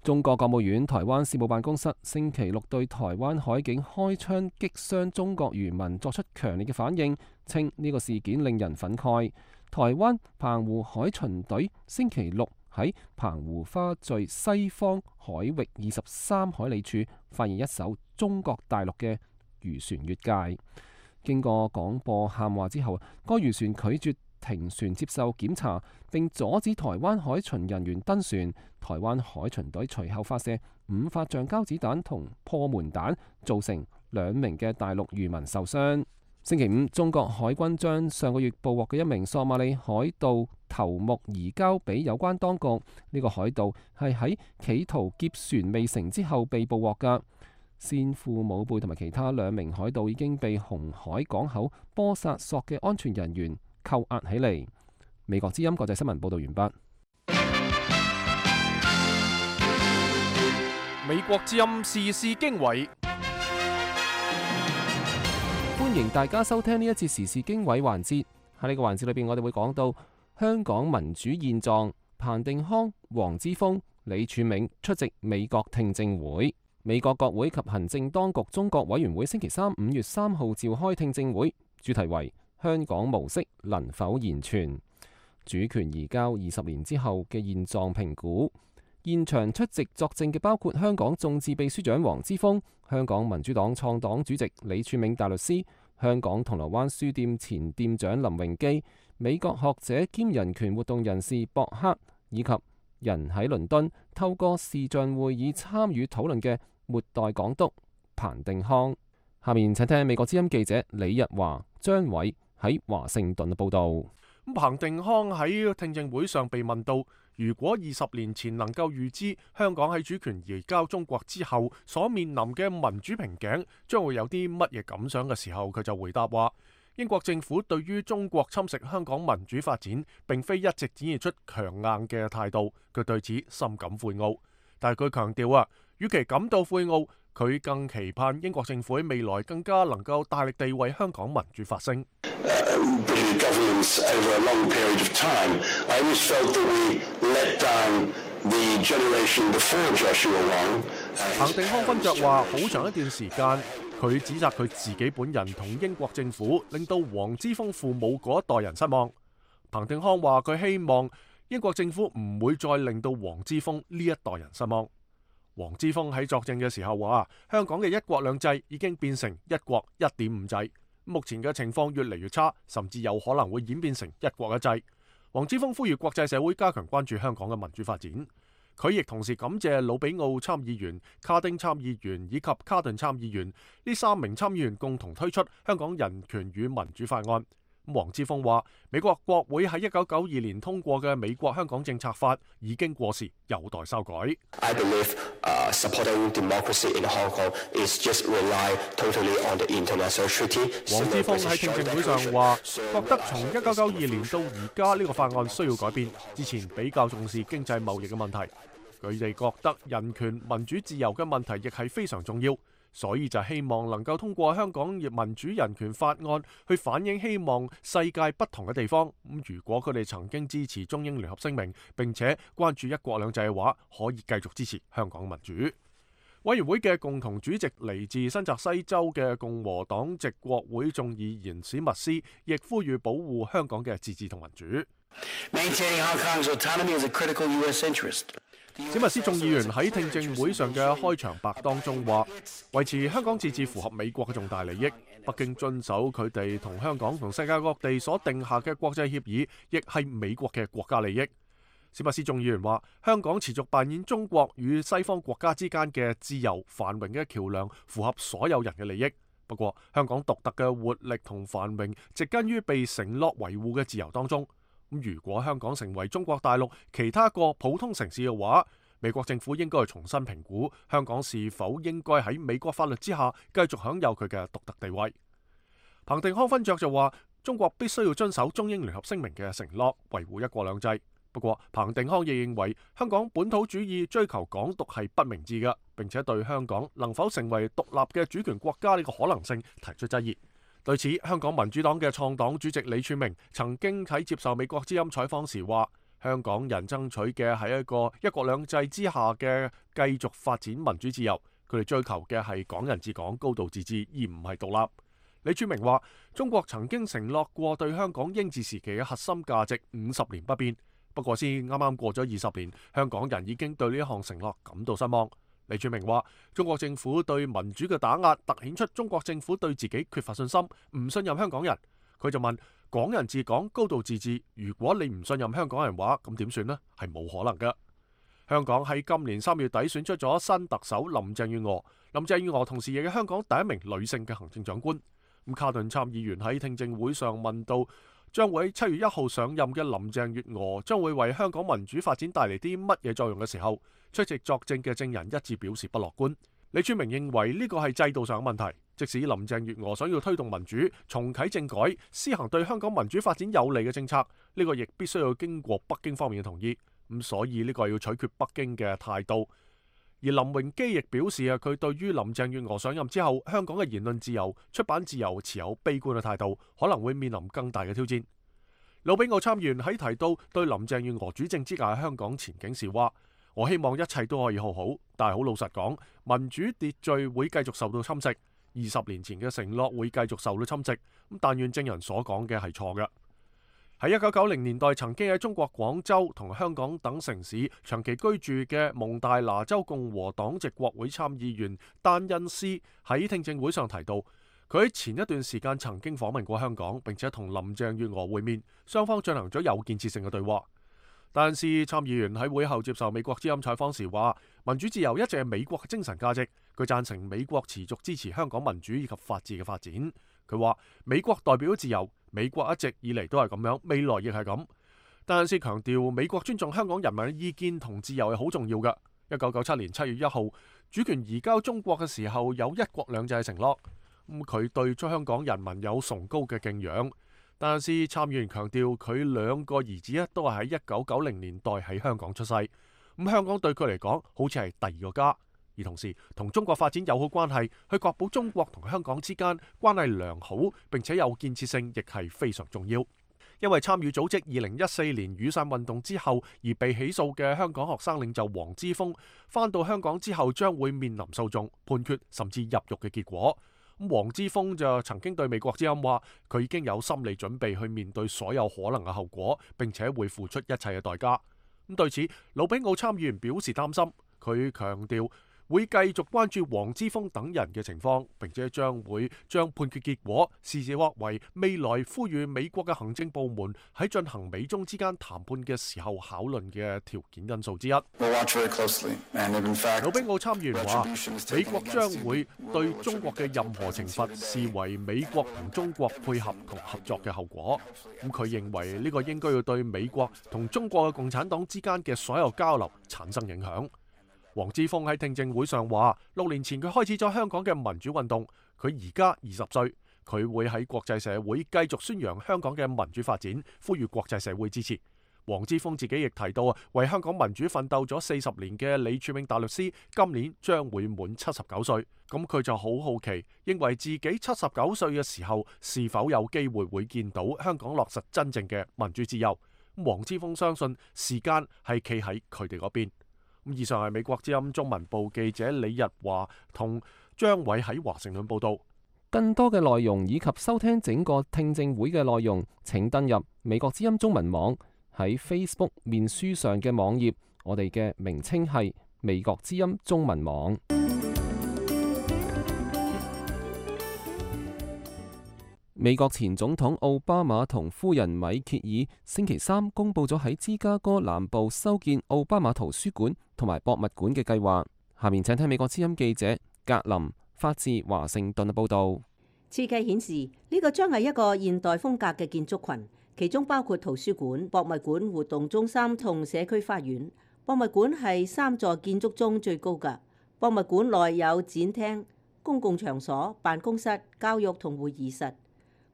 中國國務院台灣事務辦公室星期六對台灣海警開槍擊傷中國漁民作出強烈嘅反應，稱呢個事件令人憤慨。台灣澎湖海巡隊星期六喺澎湖花嶼西方海域二十三海里處發現一艘中國大陸嘅漁船越界，經過廣播喊話之後，該漁船拒絕停船接受檢查，並阻止台灣海巡人員登船。台灣海巡隊隨後發射五發橡膠子彈同破門彈，造成兩名嘅大陸漁民受傷。星期五，中國海軍將上個月捕獲嘅一名索馬里海盜頭目移交俾有關當局。呢、這個海盜係喺企圖劫船未成之後被捕獲㗎。先父母輩同埋其他兩名海盜已經被紅海港口波薩索嘅安全人員扣押起嚟。美國之音國際新聞報道完畢。美國之音時事經緯，歡迎大家收聽呢一節時事經緯環節。喺呢個環節裏邊，我哋會講到香港民主現狀。彭定康、黃之鋒、李柱銘出席美國聽證會。美國國會及行政當局中國委員會星期三五月三號召開聽證會，主題為香港模式能否延存？主權移交二十年之後嘅現狀評估。現場出席作證嘅包括香港眾志秘書長黃之鋒、香港民主黨創黨主席李柱銘大律師、香港銅鑼灣書店前店長林榮基、美國學者兼人權活動人士博克，以及人喺倫敦透過視像會議參與討論嘅末代港督彭定康。下面請聽美國之音記者李日華、張偉喺華盛頓嘅報道。彭定康喺聽證會上被問到，如果二十年前能夠預知香港喺主權移交中國之後所面臨嘅民主瓶頸將會有啲乜嘢感想嘅時候，佢就回答話：英國政府對於中國侵蝕香港民主發展並非一直展現出強硬嘅態度，佢對此深感悔懊。但係佢強調啊，與其感到悔懊，佢更期盼英國政府喺未來更加能夠大力地為香港民主發聲。彭定康分著話，好長一段時間，佢指責佢自己本人同英國政府令到黃之鋒父母嗰一代人失望。彭定康話佢希望英國政府唔會再令到黃之鋒呢一代人失望。黃之鋒喺作證嘅時候話，香港嘅一國兩制已經變成一國一點五制，目前嘅情況越嚟越差，甚至有可能會演變成一國一制。黃之鋒呼籲國際社會加強關注香港嘅民主發展。佢亦同時感謝魯比奧參議員、卡丁參議員以及卡頓參議員呢三名參議員共同推出香港人權與民主法案。黃之鋒話：美國國會喺一九九二年通過嘅美國香港政策法已經過時，有待修改。I believe, uh, supporting democracy in Hong Kong is just rely totally on the international treaty. 黃之鋒喺聽證會上話，覺得從一九九二年到而家呢個法案需要改變，之前比較重視經濟貿易嘅問題。佢哋覺得人權、民主、自由嘅問題亦係非常重要。所以就希望能夠通過香港民主人權法案去反映希望世界不同嘅地方。咁如果佢哋曾經支持中英聯合聲明並且關注一國兩制嘅話，可以繼續支持香港民主。委員會嘅共同主席嚟自新澤西州嘅共和黨籍國會眾議員史密斯亦呼籲保護香港嘅自治同民主。史密斯眾議員喺聽證會上嘅開場白當中話，維持香港自治符合美國嘅重大利益，北京遵守佢哋同香港同世界各地所定下嘅國際協議，亦係美國嘅國家利益。史密斯眾議員話，香港持續扮演中國與西方國家之間嘅自由繁榮嘅橋樑，符合所有人嘅利益。不過，香港獨特嘅活力同繁榮，植根於被承諾維護嘅自由當中。咁如果香港成為中國大陸其他個普通城市嘅話，美國政府應該重新評估香港是否應該喺美國法律之下繼續享有佢嘅獨特地位。彭定康分著就話，中國必須要遵守中英聯合聲明嘅承諾，維護一國兩制。不過，彭定康亦認為香港本土主義追求港獨係不明智嘅，並且對香港能否成為獨立嘅主權國家呢個可能性提出質疑。對此，香港民主黨嘅創黨主席李柱銘曾經喺接受美國之音採訪時話，香港人爭取嘅係一個一國兩制之下嘅繼續發展民主自由，佢哋追求嘅係港人治港、高度自治，而唔係獨立。李柱銘話：中國曾經承諾過對香港英治時期嘅核心價值五十年不變，不過先啱啱過咗二十年，香港人已經對呢一項承諾感到失望。李柱銘話：中國政府對民主嘅打壓，凸顯出中國政府對自己缺乏信心，唔信任香港人。佢就問：港人治港、高度自治，如果你唔信任香港人話，咁點算呢？係冇可能嘅。香港喺今年三月底選出咗新特首林鄭月娥，林鄭月娥同時亦係香港第一名女性嘅行政長官。咁卡頓參議員喺聽證會上問到，將會喺七月一號上任嘅林鄭月娥將會為香港民主發展帶嚟啲乜嘢作用嘅時候，出席作證嘅證人一致表示不樂觀。李柱銘認為呢個係制度上嘅問題，即使林鄭月娥想要推動民主、重啟政改、施行對香港民主發展有利嘅政策，呢個亦必須要經過北京方面嘅同意。咁所以呢個要取決北京嘅態度。而林榮基亦表示啊，佢對於林鄭月娥上任之後香港嘅言論自由、出版自由持有悲觀嘅態度，可能會面臨更大嘅挑戰。魯比奧參議員喺提到對林鄭月娥主政之下香港前景時話：我希望一切都可以好好，但係好老實講，民主秩序會繼續受到侵蝕。二十年前嘅承諾會繼續受到侵蝕。咁但願證人所講嘅係錯嘅。喺一九九零年代曾經喺中國廣州同香港等城市長期居住嘅蒙大拿州共和黨籍國會參議員丹恩斯喺聽證會上提到，佢喺前一段時間曾經訪問過香港，並且同林鄭月娥會面，雙方進行咗有建設性嘅對話。丹恩斯參議員喺會後接受美國之音採訪時話：民主自由一直係美國嘅精神價值，佢贊成美國持續支持香港民主以及法治嘅發展。佢話美國代表自由，美國一直以嚟都係咁樣，未來亦係咁。丹恩斯強調美國尊重香港人民嘅意見同自由係好重要嘅。一九九七年七月一號主權移交中國嘅時候，有一國兩制嘅承諾。咁佢對出香港人民有崇高嘅敬仰。丹恩斯參議員強調佢兩個兒子都係喺一九九零年代喺香港出世。咁香港對佢嚟講好似係第二個家。而同時同中國發展友好關係，去確保中國同香港之間關係良好並且有建設性，亦係非常重要。因為參與組織二零一四年雨傘運動之後而被起訴嘅香港學生領袖黃之鋒，返到香港之後將會面臨訴訟、判決甚至入獄嘅結果。咁黃之鋒就曾經對美國之音話，佢已經有心理準備去面對所有可能嘅後果，並且會付出一切嘅代價。咁對此，魯比奧參議員表示擔心，佢強調會繼續關注黃之鋒等人嘅情況，並且將會將判決結果視之為未來呼籲美國嘅行政部門喺進行美中之間談判嘅時候考慮嘅條件因素之一。魯比奧參議員話：美國將會對中國嘅任何懲罰視為美國同中國配合同合作嘅後果。咁佢認為呢個應該要對美國同中國嘅共產黨之間嘅所有交流產生影響。黃之鋒喺聽證會上話：六年前佢開始咗香港嘅民主運動，佢而家二十歲，佢會喺國際社會繼續宣揚香港嘅民主發展，呼籲國際社會支持。黃之鋒自己亦提到啊，為香港民主奮鬥咗四十年嘅李柱銘大律師，今年將會滿七十九歲。咁佢就好好奇，認為自己七十九歲嘅時候，是否有機會會見到香港落實真正嘅民主自由？黃之鋒相信時間係企喺佢哋嗰邊。以上係美國之音中文部記者李日華同張偉喺華盛頓報道。更多嘅內容以及收聽整個聽證會嘅內容，請登入美國之音中文網，喺 Facebook 面書上嘅網頁，我哋嘅名稱係美國之音中文網。美國前總統奧巴馬同夫人米歇爾星期三公佈咗喺芝加哥南部修建奧巴馬圖書館同埋博物館嘅計劃。下面請聽美國之音記者格林發自華盛頓嘅報導。設計顯示呢個將係一個現代風格嘅建築群，其中包括圖書館、博物館、活動中心同社區花園。博物館係三座建築中最高嘅。博物館內有展廳、公共場所、辦公室、教育同會議室。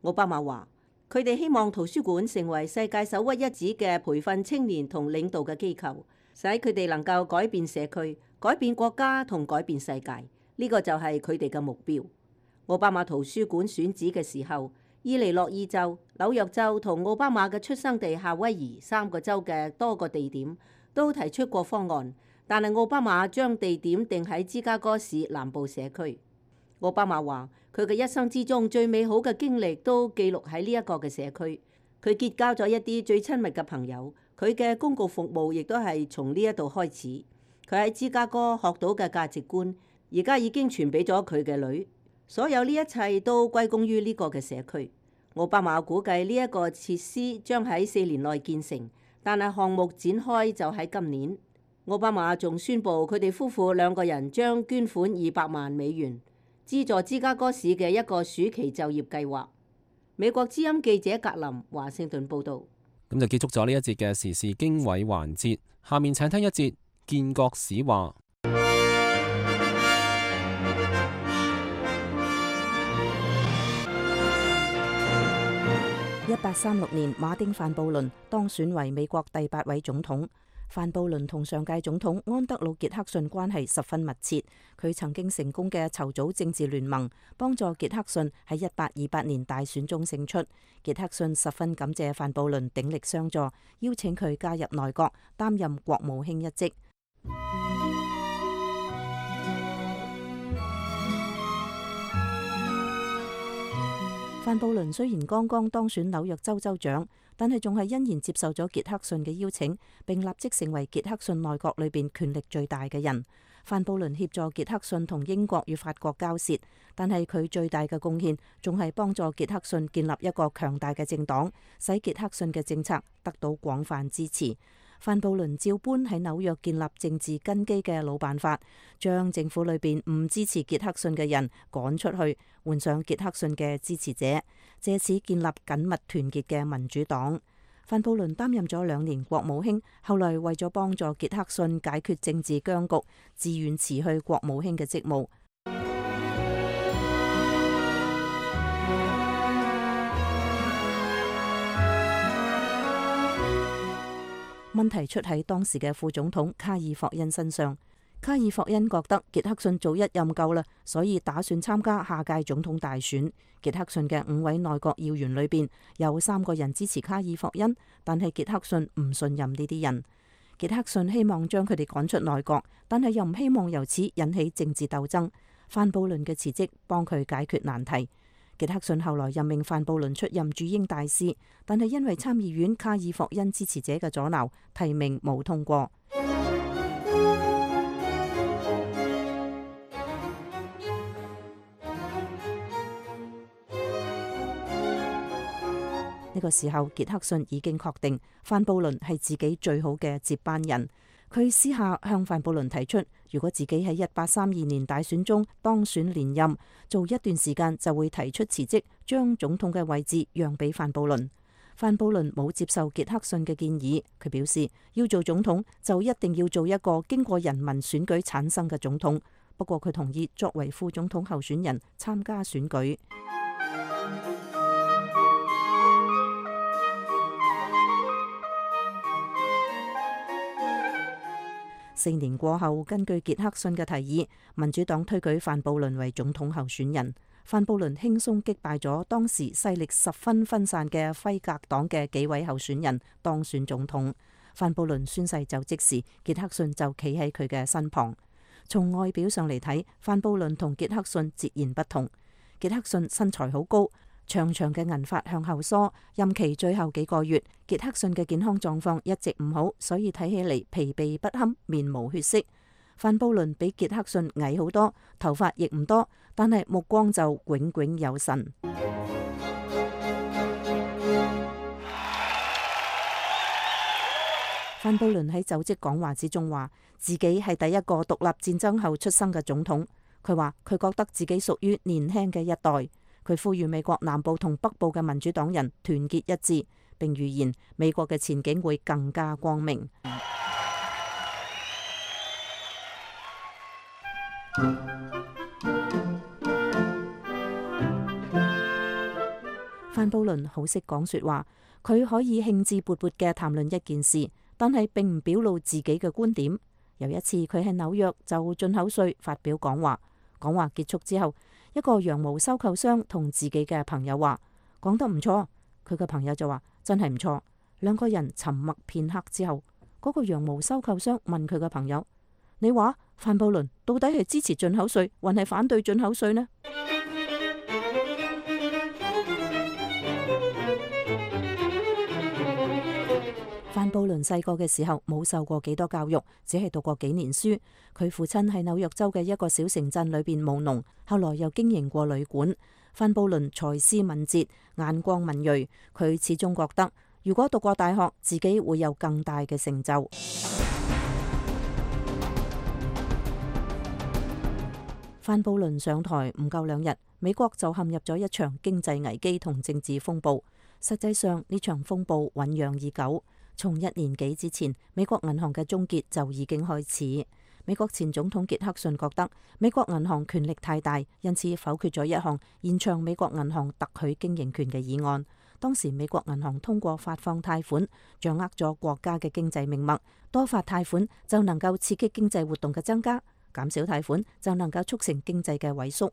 奧巴馬話：佢哋希望圖書館成為世界首屈一指嘅培訓青年同領導嘅機構，使佢哋能夠改變社區、改變國家同改變世界。呢個就係佢哋嘅目標。奧巴馬圖書館選址嘅時候，伊利諾爾州、紐約州同奧巴馬嘅出生地夏威夷三個州嘅多個地點都提出過方案，但係奧巴馬將地點定喺芝加哥市南部社區。奧巴馬話佢嘅一生之中最美好嘅經歷都記錄喺呢一個嘅社區。佢結交咗一啲最親密嘅朋友，佢嘅公共服務亦都係從呢一度開始。佢喺芝加哥學到嘅價值觀，而家已經傳俾咗佢嘅女。所有呢一切都歸功於呢個嘅社區。奧巴馬估計呢一個設施將喺四年內建成，但係項目展開就喺今年。奧巴馬仲宣布佢哋夫婦兩個人將捐款二百萬美元，資助芝加哥市嘅一個暑期就業計劃。美國之音記者格林華盛頓報導。咁就結束咗呢一節嘅時事經緯環節，下面請聽一節建國史話。一八三六年，馬丁范布倫當選為美國第八位總統。范布倫同上屆總統安德魯傑克遜關係十分密切，佢曾經成功嘅籌組政治聯盟，幫助傑克遜喺一八二八年大選中勝出。傑克遜十分感謝范布倫鼎力相助，邀請佢加入內閣，擔任國務卿一職。范布倫雖然剛剛當選紐約州州長，但係仲係欣然接受咗傑克遜嘅邀請，並立即成為傑克遜內閣裏邊權力最大嘅人。范布倫協助傑克遜同英國與法國交涉，但係佢最大嘅貢獻仲係幫助傑克遜建立一個強大嘅政黨，使傑克遜嘅政策得到廣泛支持。范布倫照搬喺紐約建立政治根基嘅老辦法，將政府裏邊唔支持傑克遜嘅人趕出去，換上傑克遜嘅支持者，借此建立緊密團結嘅民主黨。范布倫擔任咗兩年國務卿，後來為咗幫助傑克遜解決政治僵局，自願辭去國務卿嘅職務。問題出喺當時嘅副總統卡爾霍恩身上。卡爾霍恩覺得傑克遜早一任夠啦，所以打算參加下屆總統大選。傑克遜嘅五位內閣要員裏邊有三個人支持卡爾霍恩，但係傑克遜唔信任呢啲人。傑克遜希望將佢哋趕出內閣，但係又唔希望由此引起政治鬥爭。范布倫嘅辭職幫佢解決難題。傑克遜後來任命范布倫出任駐英大使，但係因為參議院卡爾霍恩支持者嘅阻撓，提名冇通過。呢個時候，傑克遜已經確定范布倫係自己最好嘅接班人。佢私下向范布倫提出，如果自己喺一八三二年大選中當選連任，做一段時間就會提出辭職，將總統嘅位置讓俾范布倫。范布倫冇接受傑克遜嘅建議，佢表示要做總統就一定要做一個經過人民選舉產生嘅總統。不過佢同意作為副總統候選人參加選舉。四年過後，根據傑克遜嘅提議，民主黨推舉范布倫為總統候選人。范布倫輕鬆擊敗咗當時勢力十分分散嘅輝格黨嘅幾位候選人，當選總統。范布倫宣誓就職時，傑克遜就企喺佢嘅身旁。從外表上嚟睇，范布倫同傑克遜截然不同。傑克遜身材好高，長長嘅銀髮向後梳，任期最後幾個月，傑克遜嘅健康狀況一直唔好，所以睇起嚟疲憊不堪，面無血色。范布倫比傑克遜矮好多，頭髮亦唔多，但係目光就炯炯有神。范布倫喺就職講話之中話，自己係第一個獨立戰爭後出生嘅總統。佢話佢覺得自己屬於年輕嘅一代。佢呼籲美國南部同北部嘅民主黨人團結一致，並預言美國嘅前景會更加光明。范布倫好識講說話，佢可以興致勃勃嘅談論一件事，但係並唔表露自己嘅觀點。有一次佢喺紐約就進口稅發表講話，講話結束之後，一個羊毛收購商同自己嘅朋友話：講得唔錯。佢嘅朋友就話真係唔錯。兩個人沉默片刻之後，嗰個羊毛收購商問佢嘅朋友：你話范布倫到底係支持進口稅，還係反對進口稅呢？范布倫細個嘅時候冇受過幾多教育，只係讀過幾年書。佢父親喺紐約州嘅一個小城鎮裏邊務農，後來又經營過旅館。范布倫才思敏捷，眼光敏銳，佢始終覺得如果讀過大學，自己會有更大嘅成就。范布倫上台唔夠兩日，美國就陷入咗一場經濟危機同政治風暴。實際上呢場風暴醞釀已久。從一年幾之前，美國銀行嘅終結就已經開始。美國前總統傑克遜覺得美國銀行權力太大，因此否決咗一項延長美國銀行特許經營權嘅議案。當時美國銀行通過發放貸款，掌握咗國家嘅經濟命脈，多發貸款就能夠刺激經濟活動嘅增加，減少貸款就能夠促成經濟嘅萎縮。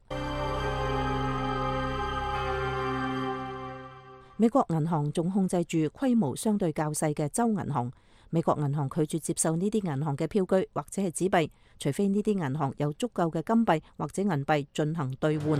美國銀行仲控制住規模相對較細嘅州銀行。美國銀行拒絕接受呢啲銀行嘅票據或者係紙幣，除非呢啲銀行有足夠嘅金幣或者銀幣進行兌換。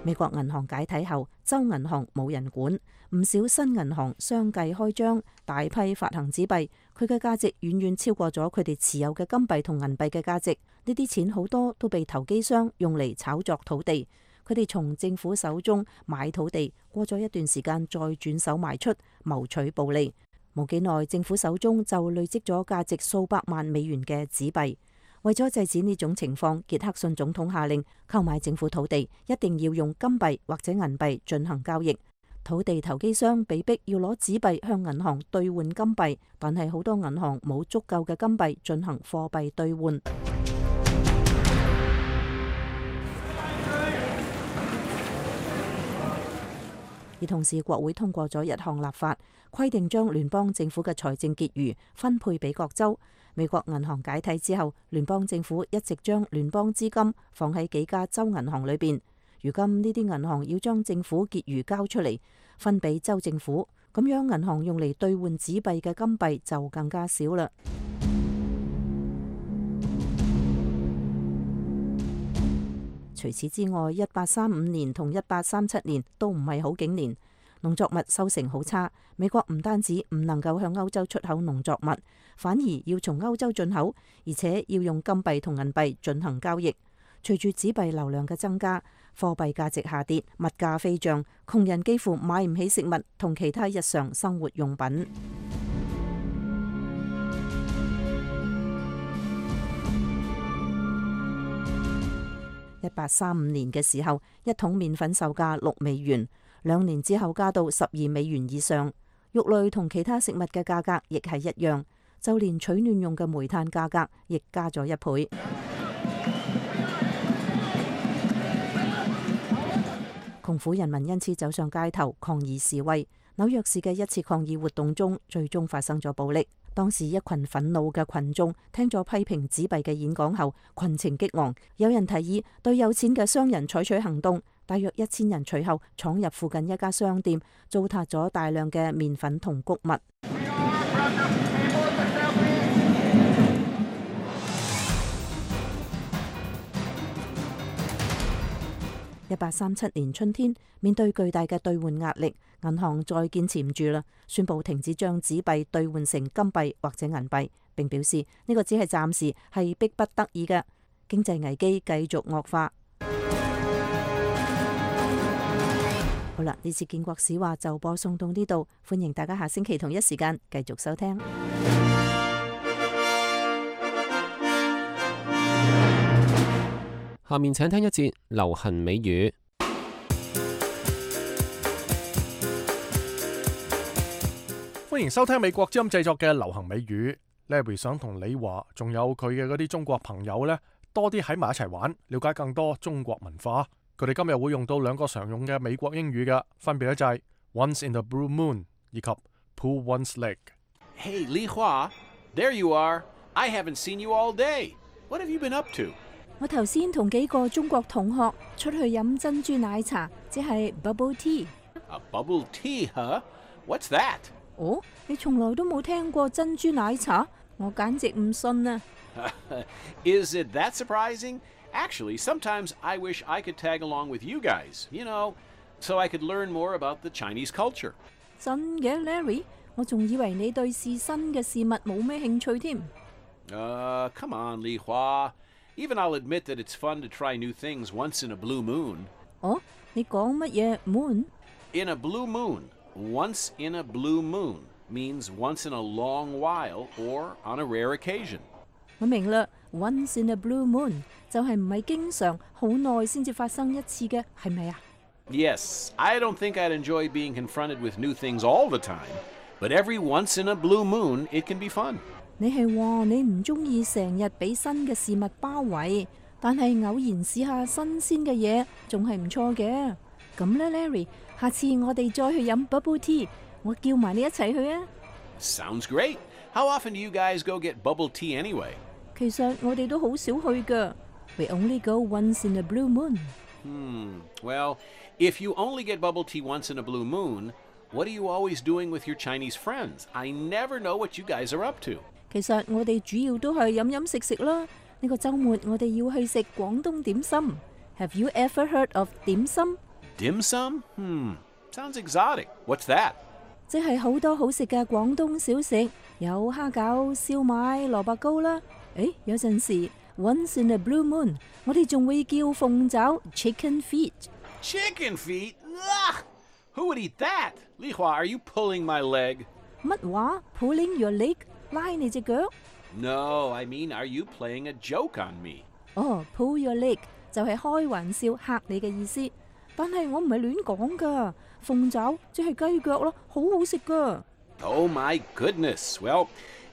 美國銀行解體後，州銀行冇人管，唔少新銀行相繼開張，大批發行紙幣，佢嘅價值遠遠超過咗佢哋持有嘅金幣同銀幣嘅價值。呢啲錢好多都被投機商用嚟炒作土地。佢哋從政府手中買土地，過咗一段時間再轉手賣出，謀取暴利。冇幾耐，政府手中就累積咗價值數百萬美元嘅紙幣。為咗制止呢種情況，傑克遜總統下令購買政府土地一定要用金幣或者銀幣進行交易。土地投機商被逼要攞紙幣向銀行兌換金幣，但係好多銀行冇足夠嘅金幣進行貨幣兌換。而同時，國會通過咗一項立法，規定將聯邦政府嘅財政結餘分配俾各州。美國銀行解體之後，聯邦政府一直將聯邦資金放喺幾家州銀行裏邊。如今呢啲銀行要將政府結餘交出嚟，分俾州政府，咁樣銀行用嚟兌換紙幣嘅金幣就更加少啦。除此之外，一八三五年同一八三七年都唔係好景年，農作物收成好差。美國唔單止唔能夠向歐洲出口農作物，反而要從歐洲進口，而且要用金幣同銀幣進行交易。隨住紙幣流量嘅增加，貨幣價值下跌，物價飛漲，窮人幾乎買唔起食物同其他日常生活用品。一八三五年嘅時候，一桶麵粉售價六美元，兩年之後加到十二美元以上。肉類同其他食物嘅價格亦係一樣，就連取暖用嘅煤炭價格亦加咗一倍。窮苦人民因此走上街頭抗議示威。紐約市嘅一次抗議活動中，最終發生咗暴力。當時一群憤怒嘅群眾聽咗批評紙幣嘅演講後，群情激昂，有人提議對有錢嘅商人採取行動。大約一千人隨後闖入附近一家商店，糟蹋咗大量嘅麵粉同穀物。一八三七年春天，面對巨大嘅兌換壓力，銀行再堅持唔住啦，宣布停止將紙幣兌換成金幣或者銀幣，並表示呢個只係暫時，係逼不得已嘅。經濟危機繼續惡化。好啦，呢次建國史話就播送到呢度，歡迎大家下星期同一時間繼續收聽。下面請聽一節流行美語。歡迎收聽美國之音製作嘅流行美語。Larry 想同你話，仲有佢嘅嗰啲中國朋友呢，多啲喺埋一齊玩，了解更多中國文化。佢哋今日會用到兩個常用嘅美國英語嘅，分別咧就係 Once in the Blue Moon 以及 Pull one's leg。 Hey, Li Hua, there you are. I haven't seen you all day. What have you been up to? 我頭先同幾個中國同學出去飲珍珠奶茶，即係 bubble tea。A bubble tea, huh? What's that? 哦，你從來都冇聽過珍珠奶茶？我簡直唔信啊！ Is it that surprising? Actually, sometimes I wish I could tag along with you guys, you know, so I could learn more about the Chinese culture. 真嘅 ，Larry， 我仲以為你對試新嘅事物冇咩興趣添。Uh, come on, Li Hua. Even I'll admit that it's fun to try new things once in a blue moon. 哦，你講乜嘢 moon？ In a blue moon, once in a blue moon means once in a long while or on a rare occasion. 我明啦 ，once in a blue moon 就係唔係經常好耐先至發生一次嘅，係咪啊？ Yes, I don't think I'd enjoy being confronted with new things all the time, but every once in a blue moon it can be fun. 你係話你唔中意成日俾新嘅事物包圍，但係偶然試下新鮮嘅嘢，仲係唔錯嘅。咁咧 ，Larry， 下次我哋再去飲 bubble tea， 我叫埋你一齊去啊。Sounds great. How often do you guys go get bubble tea anyway? 其實我哋都好少去㗎。We only go once in a blue moon. Hmm. Well, if you only get bubble tea once in a blue moon, what are you always doing with your Chinese friends? I never know what you guys are up to. 其實我哋主要都係飲飲食食啦。呢個週末我哋要去食廣東點心。Have you ever heard of 點心？ Dim sum? Hmm. Sounds exotic. What's that? 即係好多好食嘅廣東小食，有蝦餃、燒賣、蘿蔔糕啦。誒，有陣時 once in a blue moon， 我哋仲會叫鳳爪 chicken feet。 Chicken feet? Ugh! Who would eat that? Li Hua, are you pulling my leg? 乜話 ？Pulling your leg？ 拉你隻腳 ？No, I mean, are you playing a joke on me? 哦 ，pull your leg 就係開玩笑嚇你嘅意思。但係我唔係亂講㗎，鳳爪即係雞腳咯，好好食㗎。Oh my goodness! Well,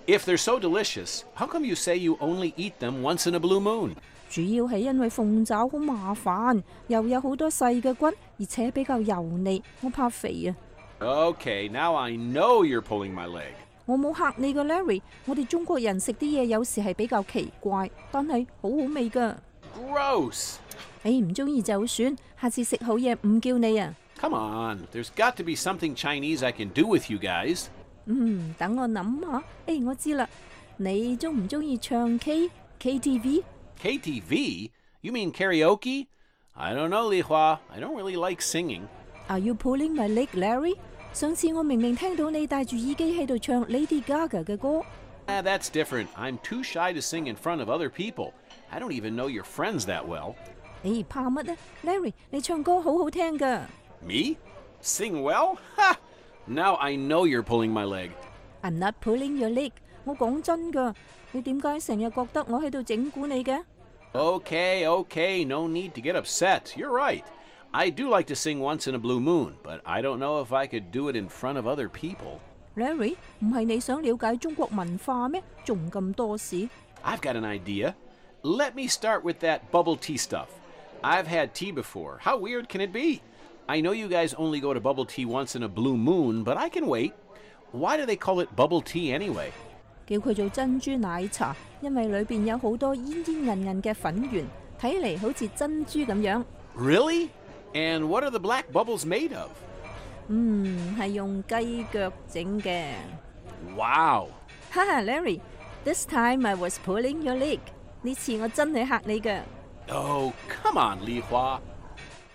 if they're so delicious, how come you say you only eat them once in a blue moon? 主要係因為鳳爪好麻煩，又有好多細嘅骨，而且比較油膩，我怕肥啊。Okay, now I know you're pulling my leg. 我冇嚇你㗎 ，Larry。我哋中國人食啲嘢有時係比較奇怪，但係好好味㗎。Gross！ 你唔中意就算，下次食好嘢唔叫你啊。Come on, there's got to be something Chinese I can do with you guys. 嗯，等我諗下。誒，我知啦，你中唔中意唱 K K T V？K T V? You mean karaoke? I don't know, Li Hua. I don't really like singing. Are you pulling my leg, Larry? 上次我明明聽到你戴住耳機喺度唱 Lady Gaga 嘅歌。Ah, that's different. I'm too shy to sing in front of other people. I don't even know your friends that well. 你怕乜呢 ，Larry？ 你唱歌好好聽㗎。Me? Sing well? Ha! Now I know you're pulling my leg. I'm not pulling your leg. 我講真㗎，你點解成日覺得我喺度整蠱你嘅 ？Okay, okay, no need to get upset. You're right. I do like to sing once in a blue moon, but I don't know if I could do it in front of other people. Larry, 唔係你想了解中國文化咩？仲咁多事 I've got an idea. Let me start with that bubble tea stuff. I've had tea before. How weird can it be? I know you guys only go to bubble tea once in a blue moon, but I can wait. Why do they call it bubble tea anyway? 叫佢做珍珠奶茶，因為裏邊有好多煙煙韌韌嘅粉圓，睇嚟好似珍珠咁樣。Really? And what are the black bubbles made of? 嗯，係用雞腳整嘅。Wow! 哈哈 ，Larry, this time I was pulling your leg. 呢次我真係嚇你㗎。Oh, come on, Li Hua.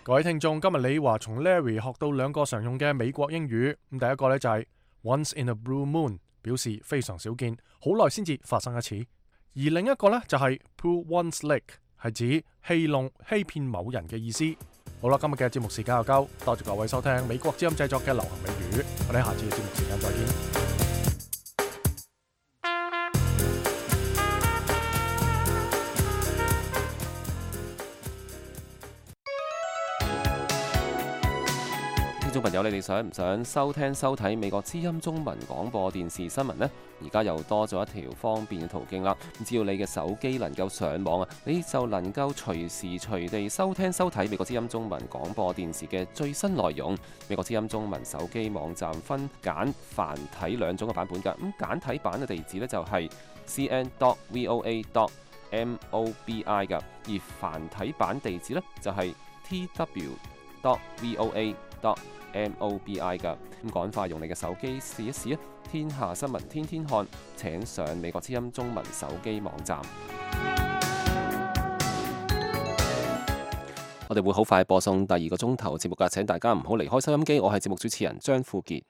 各位聽眾，今日李華從 Larry 學到兩個常用嘅美國英語。咁第一個呢就係 once in a blue moon， 表示非常少見，好耐先至發生一次。而另一個呢就係 pull one's leg， 係指戲弄、欺騙某人嘅意思。好啦，今日嘅節目時間又夠，多謝各位收聽美國之音製作嘅流行美語，我哋下次嘅節目時間再見。聽眾朋友，你哋想唔想收聽收睇美國之音中文廣播電視新聞呢？而家又多咗一條方便嘅途徑啦！只要你嘅手機能夠上網啊，你就能夠隨時隨地收聽收睇美國之音中文廣播電視嘅最新內容。美國之音中文手機網站分簡繁體兩種嘅版本㗎。咁簡體版嘅地址呢，就係 c n dot v o a dot M O B I 㗎，而繁體版地址呢，就係 T W dot V O A dot M O B I 㗎。咁趕快用你嘅手機試一試啊！天下新聞天天看，請上美國之音中文手機網站。我哋會好快播送第二個鐘頭節目㗎，請大家唔好離開收音機。我係節目主持人張富傑。